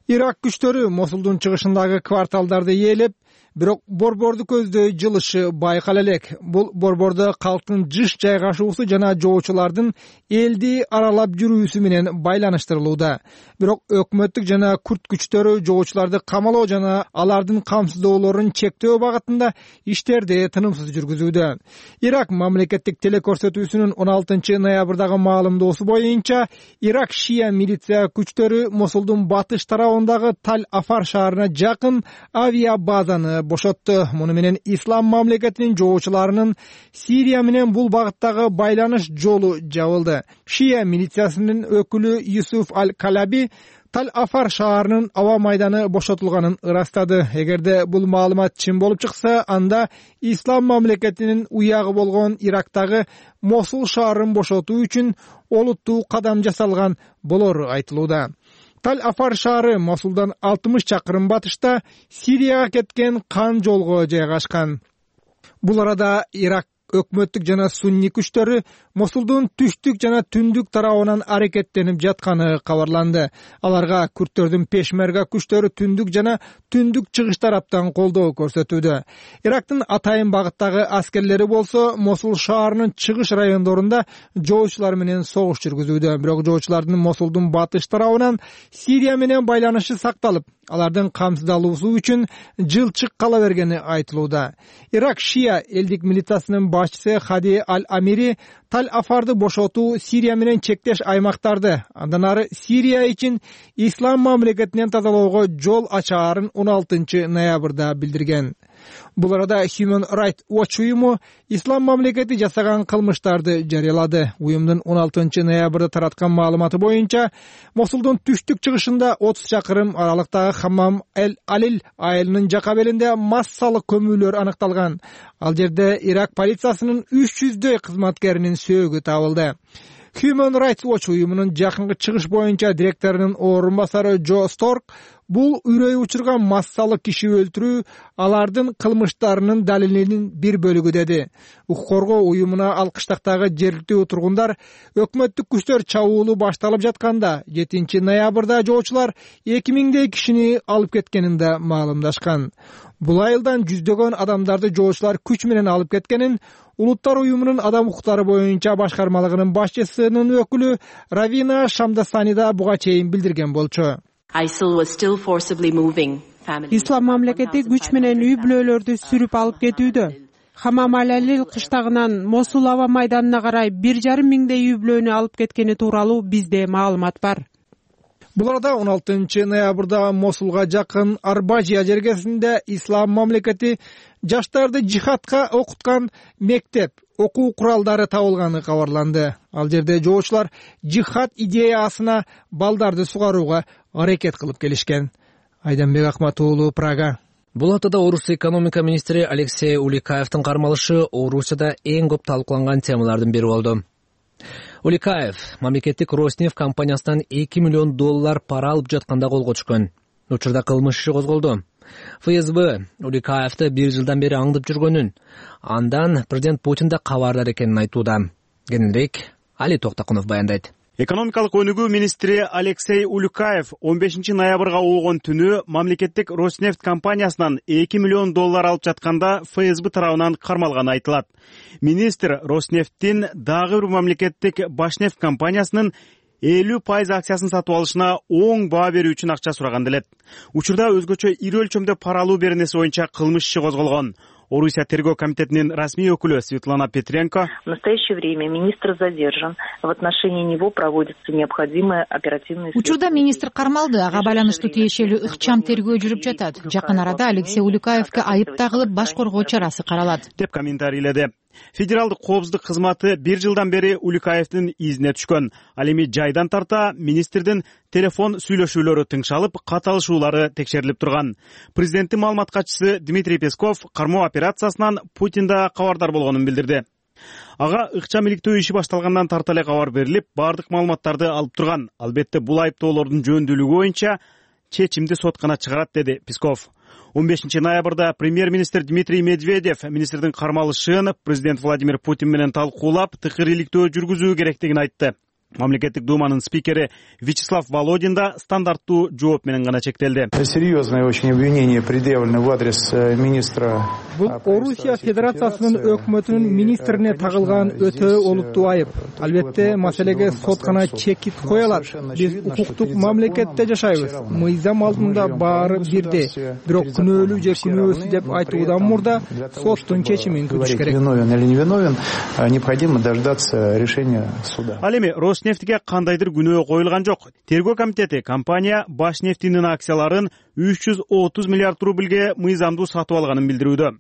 Ирак күчтөрү Мосулдун чыгышындагы кварталдарды ээлеп, бирок борборду көздөй жылышы байкала элек. Бул борбордо калктын жыш жайгашуусу жана жоочулардын элди аралап жүрүүсү менен байланыштырылууда. Бирок өкмөттүк жана күрт күчтөрү жоочуларды камалоо жана алардын камсыздоолорун чектөө багытында иштерди тынымсыз жүргүзүүдө. Ирак мамлекеттик телекөрсөтүүсүнүн он алтынчы ноябрдагы маалымдоосу боюнча, Ирак шия милиция күчтөрү Мосулдун батыш тарабындагы Таль-Афар шаарына жакын авиабазаны бошотту. Муну менен Ислам мамлекетинин жоочуларынын Сирия менен бул багыттагы байланыш жолу жабылды. Шия милициясынын өкүлү Юсуф Аль-Калаби Таль-Афар шаарынын аба майданы бошотулганын ырастады. Эгерде бул маалымат чын болуп чыкса, анда Ислам мамлекетинин уягы болгон Ирактагы Мосул шаарын бошотуу үчүн олуттуу кадам жасалган болору айтылууда. Таль-Афар шаары Мосулдан алтымыш чакырым батышта Сирияга кеткен кан жолго жайгашкан. Бул арада Ирак өкмөттүк жана сунни күчтөрү Мосулдун түштүк жана түндүк тарабынан аракеттенип жатканы кабарланды. Аларга күрттөрдүн Пешмерга күчтөрү түндүк жана түндүк чыгыш тараптан колдоо көрсөтүүдө. Ирактын атайын багыттагы аскерлери болсо Мосул шаарынын чыгыш райондорунда жоочулар менен согуш жүргүзүүдө. Бирок жоочулардын Мосулдун батыш тарабынан Сирия менен байланышы сакталып, алардын камсыздалуусу үчүн жылчык кала бергени айтылууда. Ирак шия элдик милициясынын башчысы Хади Аль-Амири Таль-Афарды бошотуу Сирия менен чектеш аймактарды, андан ары Сирия үчүн Ислам мамлекетинен тазалоого жол ачаарын он алтынчы ноябрда билдирген. Бул арада Human Rights Watch уюму Ислам мамлекети жасаган кылмыштарды жарыялады. Уюмдун он алтынчы ноябрда тараткан маалыматы боюнча, Мосулдун түштүк чыгышында отуз чакырым аралыктагы Хаммам эль-Алил айылынын жака белинде массалык көмүүлөр аныкталган. Ал жерде Ирак полициясынын үч жүздөй кызматкеринин сөөгү табылды. Human Rights Watch уюмунун жакынкы чыгыш боюнча директорунун орун басары Джо Сторк бул үрөй учурган массалык киши өлтүрүү алардын кылмыштарынын далилинин бир бөлүгү деди. Укук коргоо уюмуна ал кыштактагы жергиликтүү тургундар өкмөттүк күчтөр чабуулу башталып жатканда жетинчи ноябрда жоочулар эки миңдей кишини алып кеткенин да маалымдашкан. Бул айылдан жүздөгөн адамдарды жоочулар күч менен алып кеткенин Улуттар уюмунун адам укуктары боюнча башкармалыгынын башчысынын өкүлү Равина Шамдасанида буга чейин билдирген болчу. Ислам мамлекети күч менен үй бүлөлөрдү сүрүп алып кетүүдө. Хамамалалил кыштагынан Мосул аба майданына карай бир жарым миңдей үй бүлөнү алып кеткени тууралуу бизде маалымат бар. Бул арада он алтынчы ноябрда Мосулга жакын Арбажия жергесинде ислам мамлекети жаштарды жихадка окуткан мектеп окуу куралдары табылганы кабарланды. Ал жерде жоочулар жихад идеясына балдарды сугарууга аракет кылып келишкен. Айданбек Акматуулу, Прага. Бул атада Орус экономика министри Алексей Уликаевдин кармалышы Орусияда эң көп талкууланган темалардын бири болду. Уликаев мамлекеттик Роснефть компаниясынан эки миллион доллар пара алып жатканда колго түшкөн. Учурда кылмыш иши козголду. ФСБ Уликаевди бир жылдан бери аңдып жүргөнүн, андан президент Путин да кабардар экенин айтууда. Кененирээк Али Токтокунов баяндайт. Экономикалык өнүгүү министри Алексей Уликаев он бешинчи ноябрга болгон түнү мамлекеттик Роснефть компаниясынан эки миллион доллар алып жатканда ФСБ тарабынан кармалганы айтылат. Министр Роснефттин дагы бир мамлекеттик Башнефть компаниясынын элүү пайыз акциясын сатып алышына оң баа берүү үчүн акча сураган делет. Учурда өзгөчө ири өлчөмдө пара алуу беренеси боюнча кылмыш иши козголгон. Орусия тергөө комитетинин расмий өкүлү Светлана Петренко: В настоящее время министр задержан. В отношении него проводятся необходимые оперативные. Учурда министр кармалды, ага байланыштуу тиешелүү ыкчам тергөө жүрүп жатат. Жакын арада Алексей Уликаевге айып тагылып, баш коргоо чарасы каралат, деп комментарийледи. Федералдык коопсуздук кызматы бир жылдан бери Уликаевдин изине түшкөн. Ал эми жайдан тарта министрдин телефон сүйлөшүүлөрү тыңшалып, каталышуулары текшерилип турган. Президенттин маалымат катчысы Дмитрий Песков кармоо операциясынан Путин да кабардар болгонун билдирди. Ага ыкчам иликтөө иши башталгандан тарта эле кабар берилип, бардык маалыматтарды алып турган. Албетте бул айыптоолордун жөөндүүлүгү боюнча чечимди сот гана чыгарат, деди Песков. он бешинчи ноябрда премьер-министр Дмитрий Медведев министрдин кармалышын президент Владимир Путин менен талкуулап, тыкыр иликтөө жүргүзүү керектигин айтты. Мамлекеттик думанын спикери Вячеслав Володин да стандарттуу жооп менен гана чектелди. Серьезное очень обвинение предъявлено в адрес министра. Бул Орусия Федерациясынын өкмөтүнүн министрине тагылган өтө олуттуу айып. Албетте маселеге сот гана чекит кое алат. Биз укуктук мамлекетте жашайбыз. Мыйзам алдында баары бирдей. Бирок күнөөлүү же күнөөсүз деп айтуудан мурда соттун чечимин күтүш керек. Виновен или не виновен, необходимо дождаться решения суда. Ал эми Роснефтьге кандайдыр күнөө коюлган жок. Тергөө комитети компания Башнефтинин акцияларын үч жүз отуз миллиард рубльге мыйзамдуу сатып алганын билдирүүдө.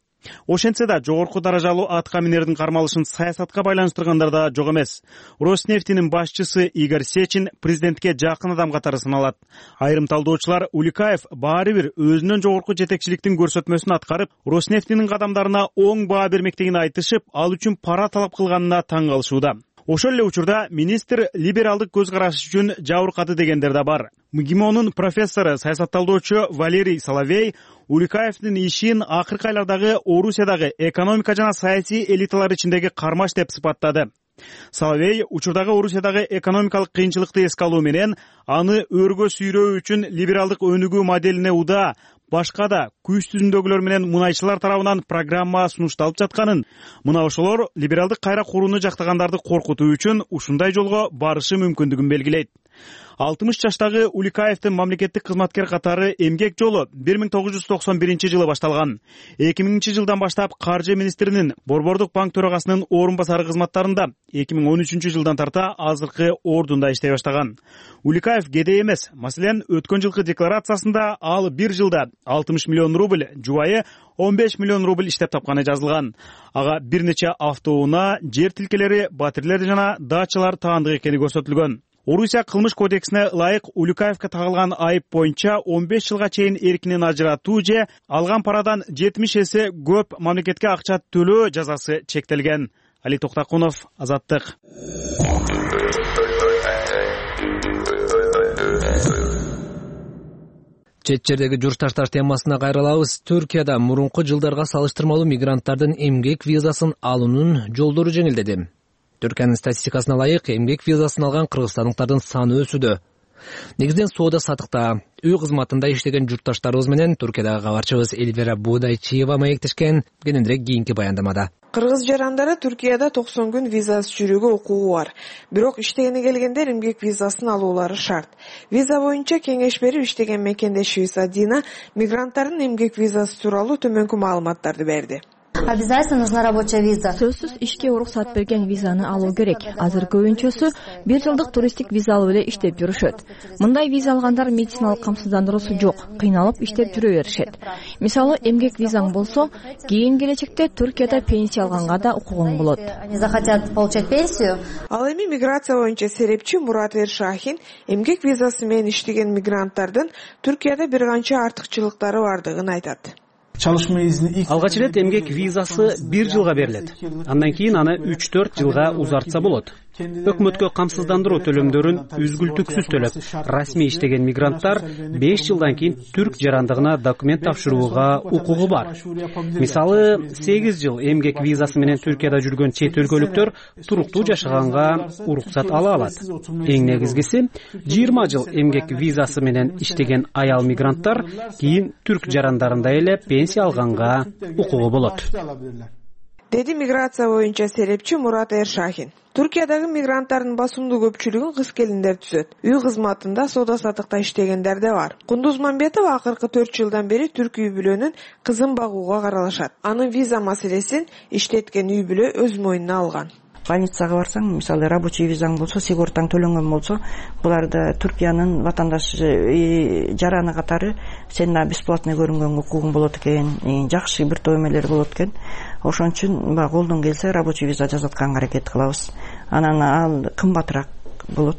Ошентсе да жогорку даражалуу атка минердин кармалышын саясатка байланыштыргандар да жок эмес. Роснефтинин башчысы Игорь Сечин президентке жакын адам катары саналат. Айрым талдоочулар Уликаев баары бир өзүнөн жогорку жетекчиликтин көрсөтмөсүн аткарып, Роснефтинин кадамдарына оң баа бермектигин айтышып, ал үчүн пара талап кылганына таң калышууда. Ошол эле учурда министр либералдык көз карашы үчүн жабыркады дегендер да бар. МГИМОнун профессору, саясатталдоочу Валерий Соловей Уликаевдин ишин акыркы айлардагы Орусиядагы экономика жана саясий элиталар ичиндеги кармаш деп сыпаттады. Соловей учурдагы Орусиядагы экономикалык кыйынчылыкты эске алуу менен аны өргө сүйрөө үчүн либералдык өнүгүү моделине удаа, башка да күч түзүмдөгүлөр менен мунайчылар тарабынан программа сунушталып жатканын, мына ошолор либералдык кайра курууну жактагандарды коркутуу үчүн ушундай жолго барышы мүмкүндүгүн белгилейт. алтымыш жаштагы Уликаевдин мамлекеттик кызматкер катары эмгек жолу бир миң тогуз жүз токсон биринчи жылы башталган. эки миңинчи жылдан баштап каржы министринин Борбордук банк төрагасынын орун басары кызматтарында, эки миң он үчүнчү жылдан тарта азыркы ордунда иштей баштаган. Уликаев кедей эмес. Маселен, өткөн жылкы декларациясында ал бир жылда алтымыш миллион рубль, жубайы он беш миллион рубль иштеп тапканы жазылган. Ага бир нече автоунаа, жер тилкелери, батирелер жана дачалар таандык экени көрсөтүлгөн. Орусия кылмыш кодексине ылайык Уликаевге тагылган айып боюнча он беш жылга чейин эркинен ажыратуу же алган парадан жетимиш эсе көп мамлекетке акча төлөө жазасы чектелген. Али Токтокунов, Азаттык. Чет жердеги журтташтар темасына кайрылабыз. Түркияда мурунку жылдарга салыштырмалуу мигранттардын эмгек визасын алуунун жолдору жеңилдеди. Түркиянын статистикасына ылайык, эмгек визасын алган кыргызстандыктардын саны өсүүдө. Негизинен соода сатыкта, үй кызматында иштеген журтташтарыбыз менен Түркиядагы кабарчыбыз Эльвира Будайчиева маектешкен. Кененирээк кийинки баяндамада. Кыргыз жарандары Түркияда токсон күн визасыз жүрүүгө укугу бар. Бирок иштегени келгендер эмгек визасын алуулары шарт. Виза боюнча кеңеш берип иштеген мекендешибиз Адина мигранттардын эмгек визасы тууралуу төмөнкү маалыматтарды берди. Обязательно нужна рабочая виза. Сөзсүз ишке уруксат берген визаны алуу керек. Азыр көбүнчөсү бир жылдык туристтик виза алып эле иштеп жүрүшөт. Мындай виза алгандар медициналык камсыздандыруусу жок, кыйналып иштеп жүрө беришет. Мисалы, эмгек визаң болсо, кийин келечекте Түркияда пенсия алганга да укугуң болот. Они захотят получать пенсию. Ал эми миграция боюнча серепчи Мурат Эршахин эмгек визасы менен иштеген мигранттардын Түркияда бир канча артыкчылыктары бардыгын айтат. Алгач ирет эмгек визасы бир жылга берилет. Андан кийин аны үч төрт жылга узартса болот. Өкмөткө камсыздандыруу төлөмдөрүн үзгүлтүксүз төлөп, расмий иштеген мигранттар беш жылдан кийин түрк жарандыгына документ тапшырууга укугу бар. Мисалы, сегиз жыл эмгек визасы менен Түркияда жүргөн чет өлкөлүктөр туруктуу жашаганга уруксат ала алат. Эң негизгиси, жыйырма жыл эмгек визасы менен иштеген аял мигранттар кийин түрк жарандарындай эле пенсия алганга укугу болот. Деди миграция боюнча серепчи Мурат Эршахин. Түркиядагы мигранттардын басымдуу көпчүлүгүн кыз келиндер түзөт. Үй кызматында, соода саттыкта иштегендер да бар. Кундуз Мамбетова акыркы төрт жылдан бери түрк үй бүлөнүн кызын багууга каралашат. Анын виза маселесин иштеткен үй бүлө өз мойнуна алган. Больницага барсаң, мисалы, рабочий визаң болсо, сигортаң төлөнгөн болсо, буларда Түркиянын ватандаш жараны катары сен бесплатный көрүнгөн укугуң болот экен, жакшы бир топ эмелер болот экен. Ошон үчүн баягы колдон келсе рабочий виза жасатканга аракет кылабыз. Анан ал кымбатыраак болот.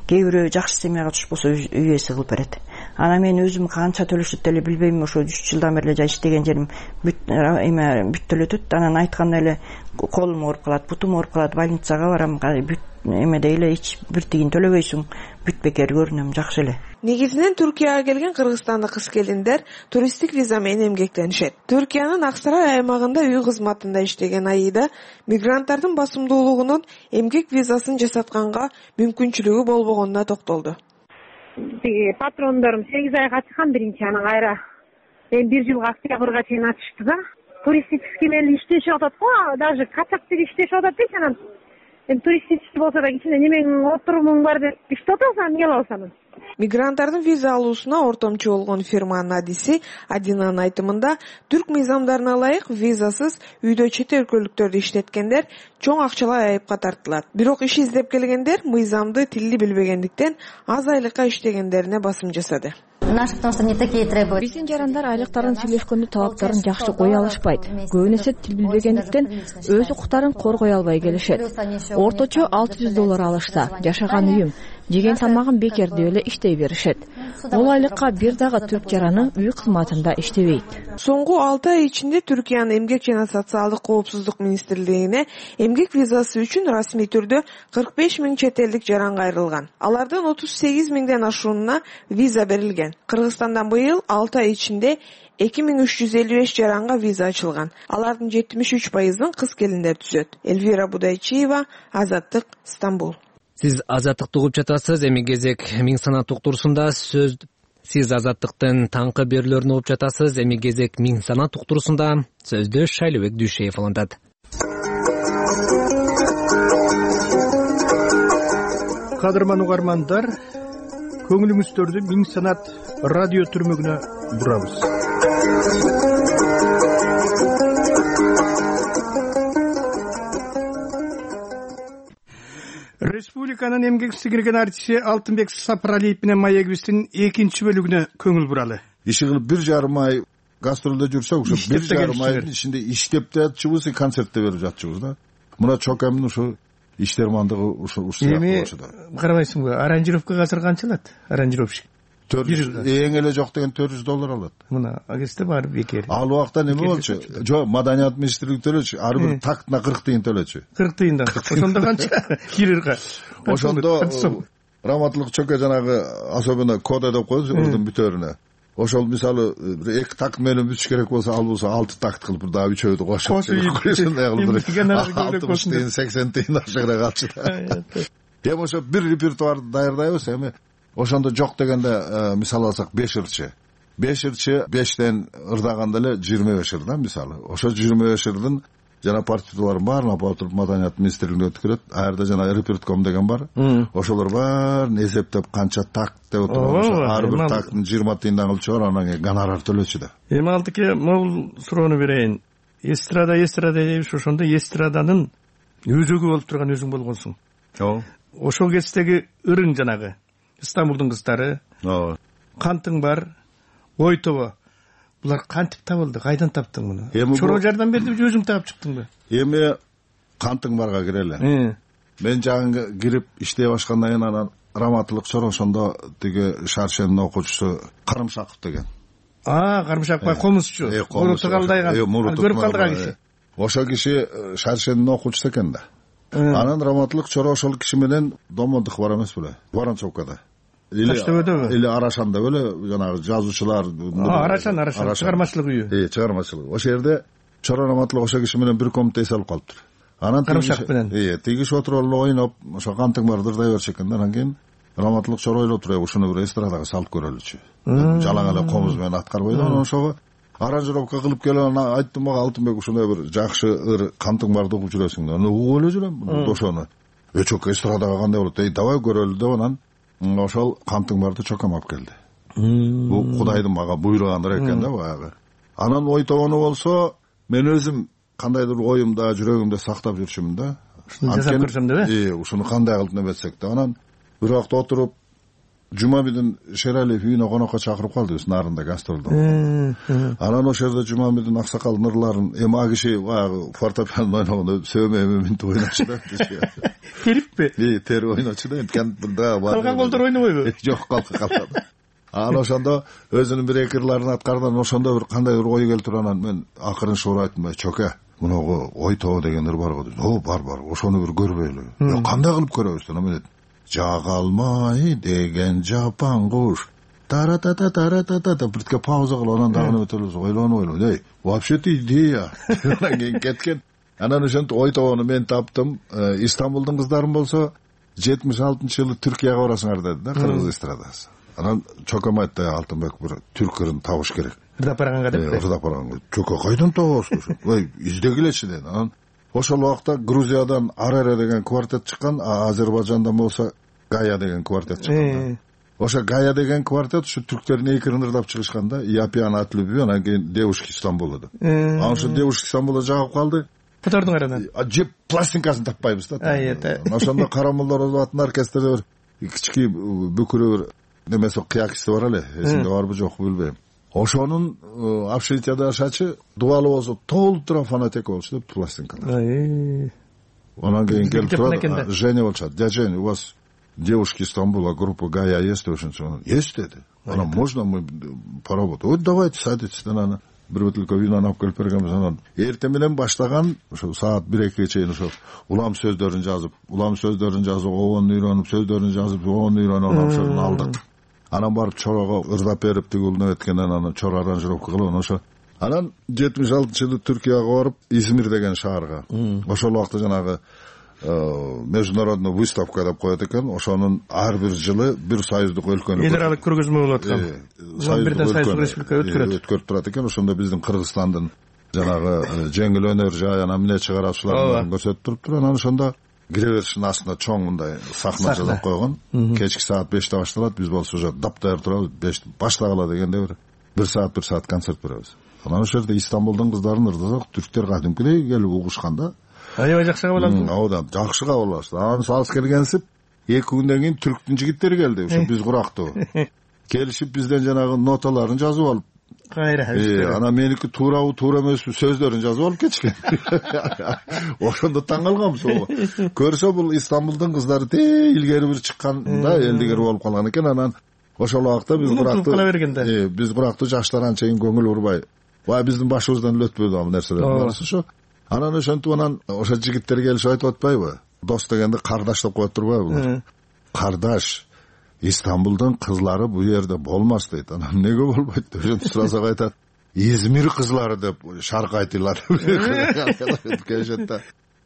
Кээ бирөө жакшы семьяга түшпөсө үй ээси кылып берет. Анан мен өзүм канча төлөшөт деле билбейм, ошо үч жылдан бери эле иштеген жерим бүт эме бүт төлөтөт. Анан айтканда эле колум ооруп калат, бутум ооруп калат, больницага барам, бүт эмеде эле эч бир тигин төлөбөйсүң, бүт бекер көрүнөм, жакшы эле. Негизинен Түркияга келген кыргызстандык кыз келиндер туристтик виза менен эмгектенишет. Түркиянын Аксарай аймагында үй кызматында иштеген Аида мигранттардын басымдуулугунун эмгек визасын жасатканга мүмкүнчүлүгү болбогонуна токтолду. Патрондорум сегиз айга ачкан биринчи, анан кайра эми бир жылга октябрга чейин ачышты да. Туристический менен иштешип атат го, даже качакчы иштешип атат дейт, анан эми туристический болсо да кичине немең отурумуң бар деп иштеп атасың, эмне кыласың? Мигранттардын виза алуусуна ортомчу болгон фирманын адиси Адинанын айтымында, түрк мыйзамдарына ылайык визасыз үйдө чет өлкөлүктөрдү иштеткендер чоң акчалай айыпка тартылат. Бирок иш издеп келгендер мыйзамды тилди билбегендиктен аз айлыкка иштегендерине басым жасады. Биздин жарандар айлыктарын сүйлөшкөндө талаптарын жакшы кое алышпайт. Көбүнесе тил билбегендиктен өз укуктарын коргой албай келишет. Орточо алты жүз доллар алышса, жашаган үйүм, жеген тамагым бекер деп эле иштей беришет. Бул айлыкка бир дагы түрк жараны үй кызматында иштебейт. Соңку алты ай ичинде Түркиянын эмгек жана социалдык коопсуздук министрлигине эмгек визасы үчүн расмий түрдө кырк беш миң чет элдик жаран кайрылган. Алардын отуз сегиз миңден ашууна виза берилген. Кыргызстандан быйыл алты ай ичинде эки миң үч жүз элүү беш жаранга виза ачылган. Алардын жетимиш үч пайызын кыз келиндер түзөт. Эльвира Будайчиева, Азаттык, Стамбул. Сиз Азаттыкты угуп жатасыз. Эми кезек Миң санат уктурусунда сөз Сиз Азаттыктын таңкы берүүлөрүн угуп жатасыз. Эми кезек Миң санат уктурусунда сөздү Шайлыбек Дүйшеев алындат. Кадырман угармандар, көңүлүңүздөрдү Миң санат радио түрмөгүнө бурабыз. Республиканын эмгек сиңирген артисти Алтынбек Сапаралиев менен маегибиздин экинчи бөлүгүнө көңүл буралы. Иши кылып бир жарым ай гастролдо жүрсөк, ошо бир жарым айдын ичинде иштеп да жатчыбыз, концертте берип жатчыбыз да. Мына Чокамдын ошо иштермандыгы ошо ушул болчу да. Эми карабайсыңбы, аранжировка азыр канча алат? Аранжировщик төрт жүз эң эле жок деген төрт жүз доллар алат. Мына агесте бар бекер. Ал убакта неме болчу? Жок, маданият министрлиги төлөчү, ар бир тактына кырк тыйын төлөчү. кырк тыйындан. Ошондо канча кирирга? Ошондо Раматлык Чоке жанагы особенно кода деп коебуз ырдын бүтөрүнө. Ошол мисалы эки такт менен бүтүш керек болсо, ал болсо алты такт кылып бир дагы үчөөдү кошуп алтымыш тыйын, сексен тыйын ашыгыраак алчу да. Эми ошо бир репертуарды даярдайбыз, эми ошондо жок дегенде мисалы алсак беш ырчы. беш ырчы бештен ырдаганда эле жыйырма беш ыр да мисалы. Ошо жыйырма беш ырдын жана партитураларын баарын алып отуруп маданият министрлигине өткөрөт. Аерде жана репертуар деген бар. Ошолор баарын эсептеп канча такт деп отуруп, ар бир такттын жыйырма тыйындан кылып чыгар, анан кийин гонорар төлөчү да. Эми Алтыке, могул суроону берейин. эстрада эстрада дейбиз, ошондо эстраданын өзөгү болуп турган өзүң болгонсуң. Ооба. Ошол кездеги ырың жанагы Стамбулдун кыздары. Ооба. Кантың бар, ой тобо. Булар кантип табылды? Кайдан таптың муну? Чоро жардам бердиби, өзүң таап чыктыңбы? Эми кантың барга кирели. Мен жагы кирип иштей башкандан кийин анан Раматылык Чоро ошондо тиги Шаршенин окуучусу Карымшаков деген. А, Карымшаков бай комузчу. Муруту калдайган. Көрүп калдык а киши. Ошол киши Шаршенин окуучусу экен да. Анан Раматылык Чоро ошол киши менен домоддук бар эмес беле? Воронцовкада. Таштөбөдөгү? Или Арашанда беле, жанагы жазуучулар. Арашан, Арашан, чыгармачылык үйү. Э, чыгармачылык. Ошол жерде Чоро Раматылык ошол киши менен бир комнатада эсалип калыптыр. Анан Карымшак менен. Э, тиги киши отуруп алып ойноп, ошо кантың бар дырдай берчү экен. Анан кийин Раматылык Чоро ойлоп туруп, ушуну бир эстрадага салып көрөлүчү. Жалаң эле комуз менен аткарбайды. Анан ошого аранжировка кылып келип анан айттым мага, Алтынбек ушундай бир жакшы ыр кантың барды угуп жүрөсүң. Аны угуп эле жүрөм ошону. Э, чок эстрадага кандай болот? Эй, давай көрөлү деп анан ошол кантың барды чокам алып келди. Бул Кудайдын мага буйругандыр экен да баягы. Анан ой тобону болсо мен өзүм кандайдыр оюмда, жүрөгүмдө сактап жүрчүмүн да. Ушуну жасап көрсөм деп э? Э, ушуну кандай кылып небетсек деп. Анан бир убакта отуруп Жумабидин Шералиев үйүнө конокко чакырып калдыбыз, нарында гастролдо. Анан ошол жерде Жумабидин аксакал нурларын, эми а киши баягы фортепиано ойногондо сөймө минт ойночу да. Териппи? Э, тери ойночу да. Кантында бар. Калган колдор ойнобойбу? Жок, калка калган. Анан ошондо өзүнүн бир эки ырларын аткардан ошондо бир кандай бир ой келип туруп анан мен акырын шуура айттым, чоке, мунугу ой тобо деген ыр бар го деп. О, бар бар, ошону бир көрбөйлү. Кандай кылып көрөбүз деп мен жага алмай деген жапан куш таратата таратата биртке пауза кылып анан дагы өтөлүбүз, ойлонуп ойлонуп. Эй, вообще-то идея. Анан кийин кеткен. Анан ошентип ой тобону мен таптым. Стамбулдун кыздарын болсо жетимиш алтынчы жылы Түркияга барасыңар деди да, кыргыз эстрадасы. Анан чоком айтты, Алтынбек бир түрк ырын табыш керек. Ырдап барганга депти. Ырдап барганга. Чоко кайдан табасыз? Ой, издегилечи деди. Анан ошол убакта Грузиядан Арере деген квартет чыккан, а Азербайжандан болсо Гая деген квартет чыккан. Ошо Гая деген квартет ушу түрктердин эки ырын ырдап чыгышкан да. Япиан от любви, анан кийин Девушки Стамбула деп. Анан ошо Девушки Стамбула жагып калды. Котордуңар анан? Жеп пластинкасын таппайбыз да. Айта. Ошондо Карамолдор аттын оркестрде бир кички бүкүрө бир немеси кыякысы бар эле. Эсимде барбы жокпу билбейм. Ошонун общежитияда жашачы дубалы болсо толтура фонотека болчу деп пластинкалар. Анан кийин келип турат, Женя болчу. Дядя Женя, у вас Девушки Стамбула, группа Гая есть? Есть деди. Анан можно мы поработаем? Вот давайте садитесь. Анан бир бутылка вино алып келип бергенбиз. Анан эртең менен баштаган ошо саат бирге чейин ошо улам сөздөрүн жазып, улам сөздөрүн жазып, оон үйрөнүп, сөздөрүн жазып, оон үйрөнүп, анан ошону алдык. Анан барып Чорого ырдап берип, тигилне өткөндөн анан Чоро аранжировка кылып, ошо анан жетимиш алтынчы жылы Түркияга барып, Измир деген шаарга. Ошол убакта жанагы международный выставка деп коет экен. Ошонун ар бир жылы бир союздук өлкөнү эл аралык көргөзмө болуп аткан. Бирден союздук республика өткөрөт. Өткөрүп турат экен. Ошондо биздин Кыргызстандын жанагы жеңил өнөр жай анан эмне чыгараачыларын көрсөтүп туруптур. Анан ошондо кире беришинин астына чоң мындай сахна жасап койгон. Кечки саат беште башталат. Биз болсо уже даптайыр турабыз. беште баштагыла дегенде бир бир саат бир саат концерт беребиз. Анан ошол жерде Стамбулдун кыздарын ырдасак, түрктөр кадимкидей келип угушкан да. Аябай жакшы кабыл алды. Оодан жакшы кабыл алышты. Анан салыс келгенсип, эки күндөн кийин түрктүн жигиттери келди, ошо биз курактуу. Келишип бизден жанагы ноталарын жазып алып. Кайра. Э, анан меники туурабы, туура эмеспи сөздөрүн жазып алып кетишкен. Ошондо таң калганбыз. Көрсө бул Стамбулдун кыздары те илгери бир чыккан да, элдигер болуп калган экен. Анан ошол убакта биз курактуу, э, биз курактуу жаштар анча көңүл урбай. Баа биздин башыбыздан эле өтпөдү ал нерселер. Ошо анан ошентип анан ошо жигиттер келишип айтып атпайбы? Дос дегенди кардаш деп коет турбайбы? Кардаш, Стамбулдун кызлары бу жерде болмас дейт. Анан эмнеге болбойт деп ошентип сурасак айтат. Измир кызлары деп шаркайтылар.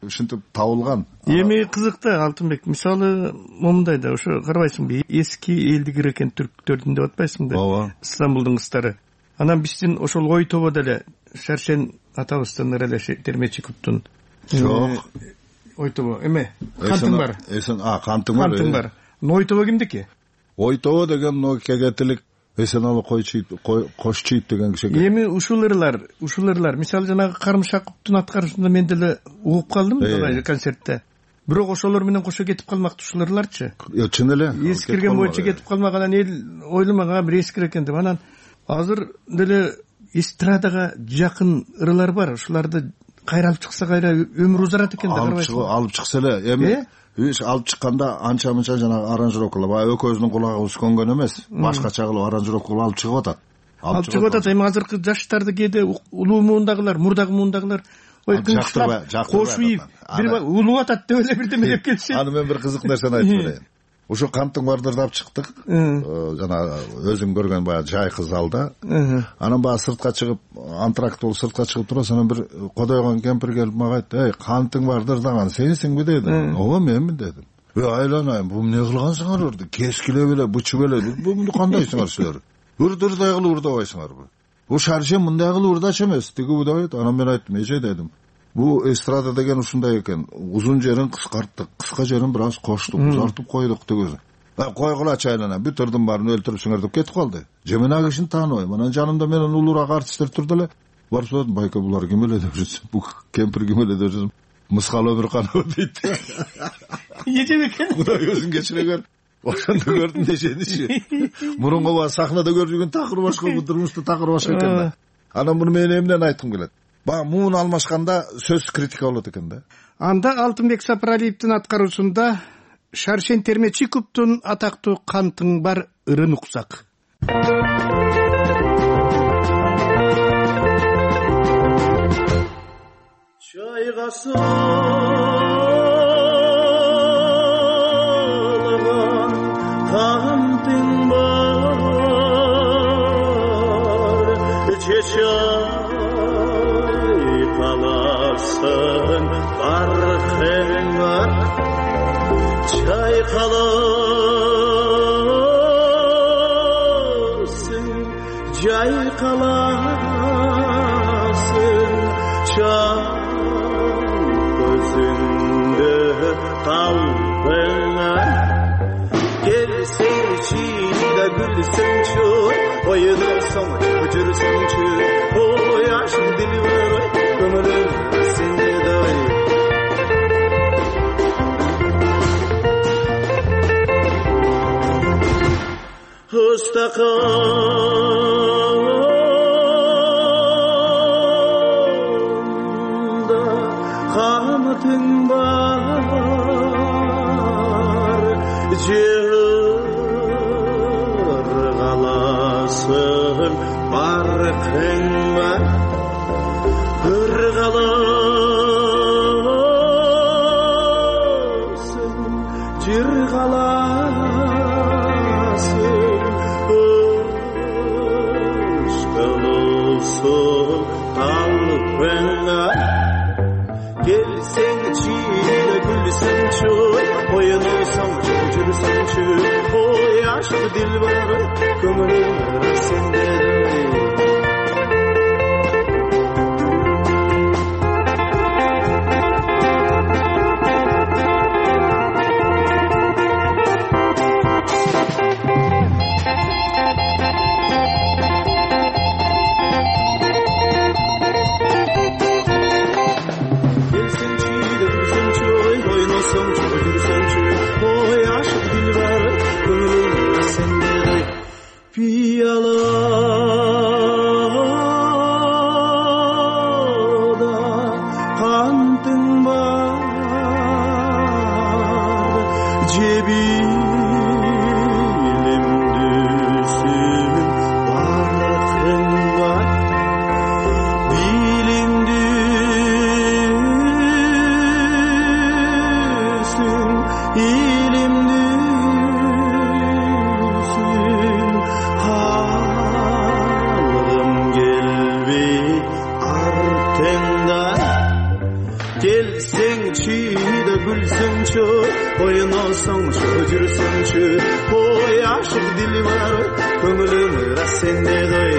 Ушинтип табылган. Эми кызык да Алтынбек. Мисалы момундай да ошо карабайсыңбы? Эски элдигер экен түрктөрдүн деп атпайсың да? Ооба. Стамбулдун кыздары. Анан биздин ошол ой тобо деле Шаршен атабыздын эле Термечиковдун. Жок. Ой тобо эме? Кантың бар? Эсен, а, кантың бар. Кантың бар. Ой тобо кимдики? Ой тобо деген но кегетилик эсен алып койчу кош чийт деген киши экен. Эми ушул ырлар, ушул ырлар, мисалы жанагы Карымшаковдун аткарышында мен деле угуп калдым мына концертте. Бирок ошолор менен кошо кетип калмакты ушул ырларчы. Yo, чын эле. Эскирген боюнча кетип калмагандан эл ойломаган бир эскир экен деп. Анан азыр деле эстрадага жакын ырлар бар. Ушуларды кайра алып чыкса кайра өмүр узарат экен да, карабайсыңбы? Алып чыкса эле. Эми алып чыкканда анча-мынча жанагы аранжировкалар, баягы экөөбүздүн кулагыбыз көнгөн эмес, башкача кылып аранжировка алып чыгып атат. Алып чыгып атат. Эми азыркы жаштарды кээде улуу муундагылар, мурдагы муундагылар ой кыңчылап кошуп ийип бир улуу атат деп эле бирдеме деп келишет. Аны мен бир кызык нерсени айтып берейин. Ошо Канттын бардырды алып чыктык. Жана өзүң көргөн баягы жайкы залда. Анан баягы сыртка чыгып, антракт болуп сыртка чыгып турасың, анан бир кодойгон кемпир келип мага айтты: "Эй, Канттын бардырдаган сенсиңби?" деди. "Ооба, менмин" дедим. "Эй, айланайын, бул эмне кылгансыңар?" деди. "Кескилеп эле, бычып эле. Бул кандайсыңар силер? Үрдүрдай кылып урдабайсыңарбы? Бул шарше мындай кылып урдачу эмес" деди удабайт. Анан мен айттым: "Эже" дедим. Бу эстрада деген ушундай экен. Узун жерин кыскарттык, кыска жерин бир аз коштук, узартып койдук деген. Койгулачы айлана, бүт ырдын баарын өлтүрүпсүңөр деп кетип калды. Же мен ал кишини тааныбайм. Анан жанымда менен улуураак артисттер турду эле. Барып сурадым: "Байка, булар ким эле?" деп жүрсүм. "Бу кемпир ким эле?" деп жүрсүм. "Мыскал Өмүрканова" дейт. Эже экен. Кудай өзүн кечире. Ошондо көрдүм дешеничи. Мурунку ба сахнада көрүп жүргөн такыр башка, бу турмушта такыр башка экен да. Анан муну мен эмнен айткым келет? Баягы муун алмашканда сөз критика болот экен да. Анда Алтынбек Сапаралиевдин аткаруусунда Шаршен Термечиковдун атактуу "Кантың бар" ырын уксак. Kantın var, çeşay kalasın, barkın var, çay kalasın, cay kalasın, çay gözünde kalbın var. Sevçiyle gülsün çü, oyunursun, uçursun çü, o yaşın dili var, ömrüm sende doy. Ustakanda kamatın var, Irgalasın, barkın var, ırgalasın, cirgalasın, ışkılısın, kalbın var. Gelsen çiğne gülsün çöl, oyunursun, çocuğursun çöl, o yaşlı dil var, kömürüm sende piyalada kantın var, cebilim düşün, barkın var, bilim düşün, ilim düşün, halım gelbi artından. Gelsen çiğde gülsün çö, oynasan çocuğursun çö, o yaşlı dili var, kömürüm sende doy.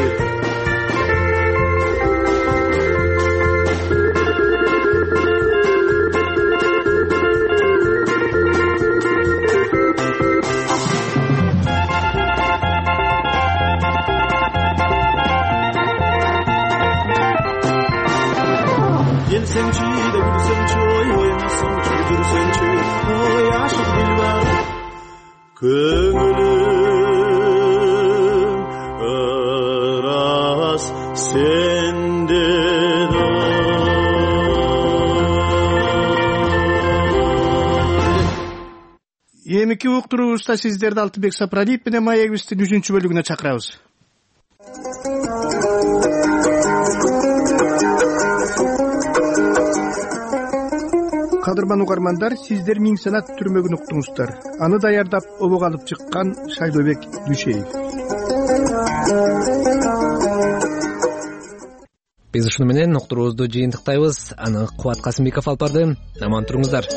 көңүлүм ырас сенде да. Эмики уктуруубузда сиздерди Алтынбек Сапрариев менен маегибиздин үчүнчү бөлүгүнө чакырабыз. Кадырман угармандар, сиздер Миң санат түрмөгүн уктуңуздар. Аны даярдап обого алып чыккан Шайлообек Дүйшеев. Биз ушуну менен уктуруубузду жыйынтыктайбыз. Аны Кубат Касымбеков алып барды. Аман туруңуздар.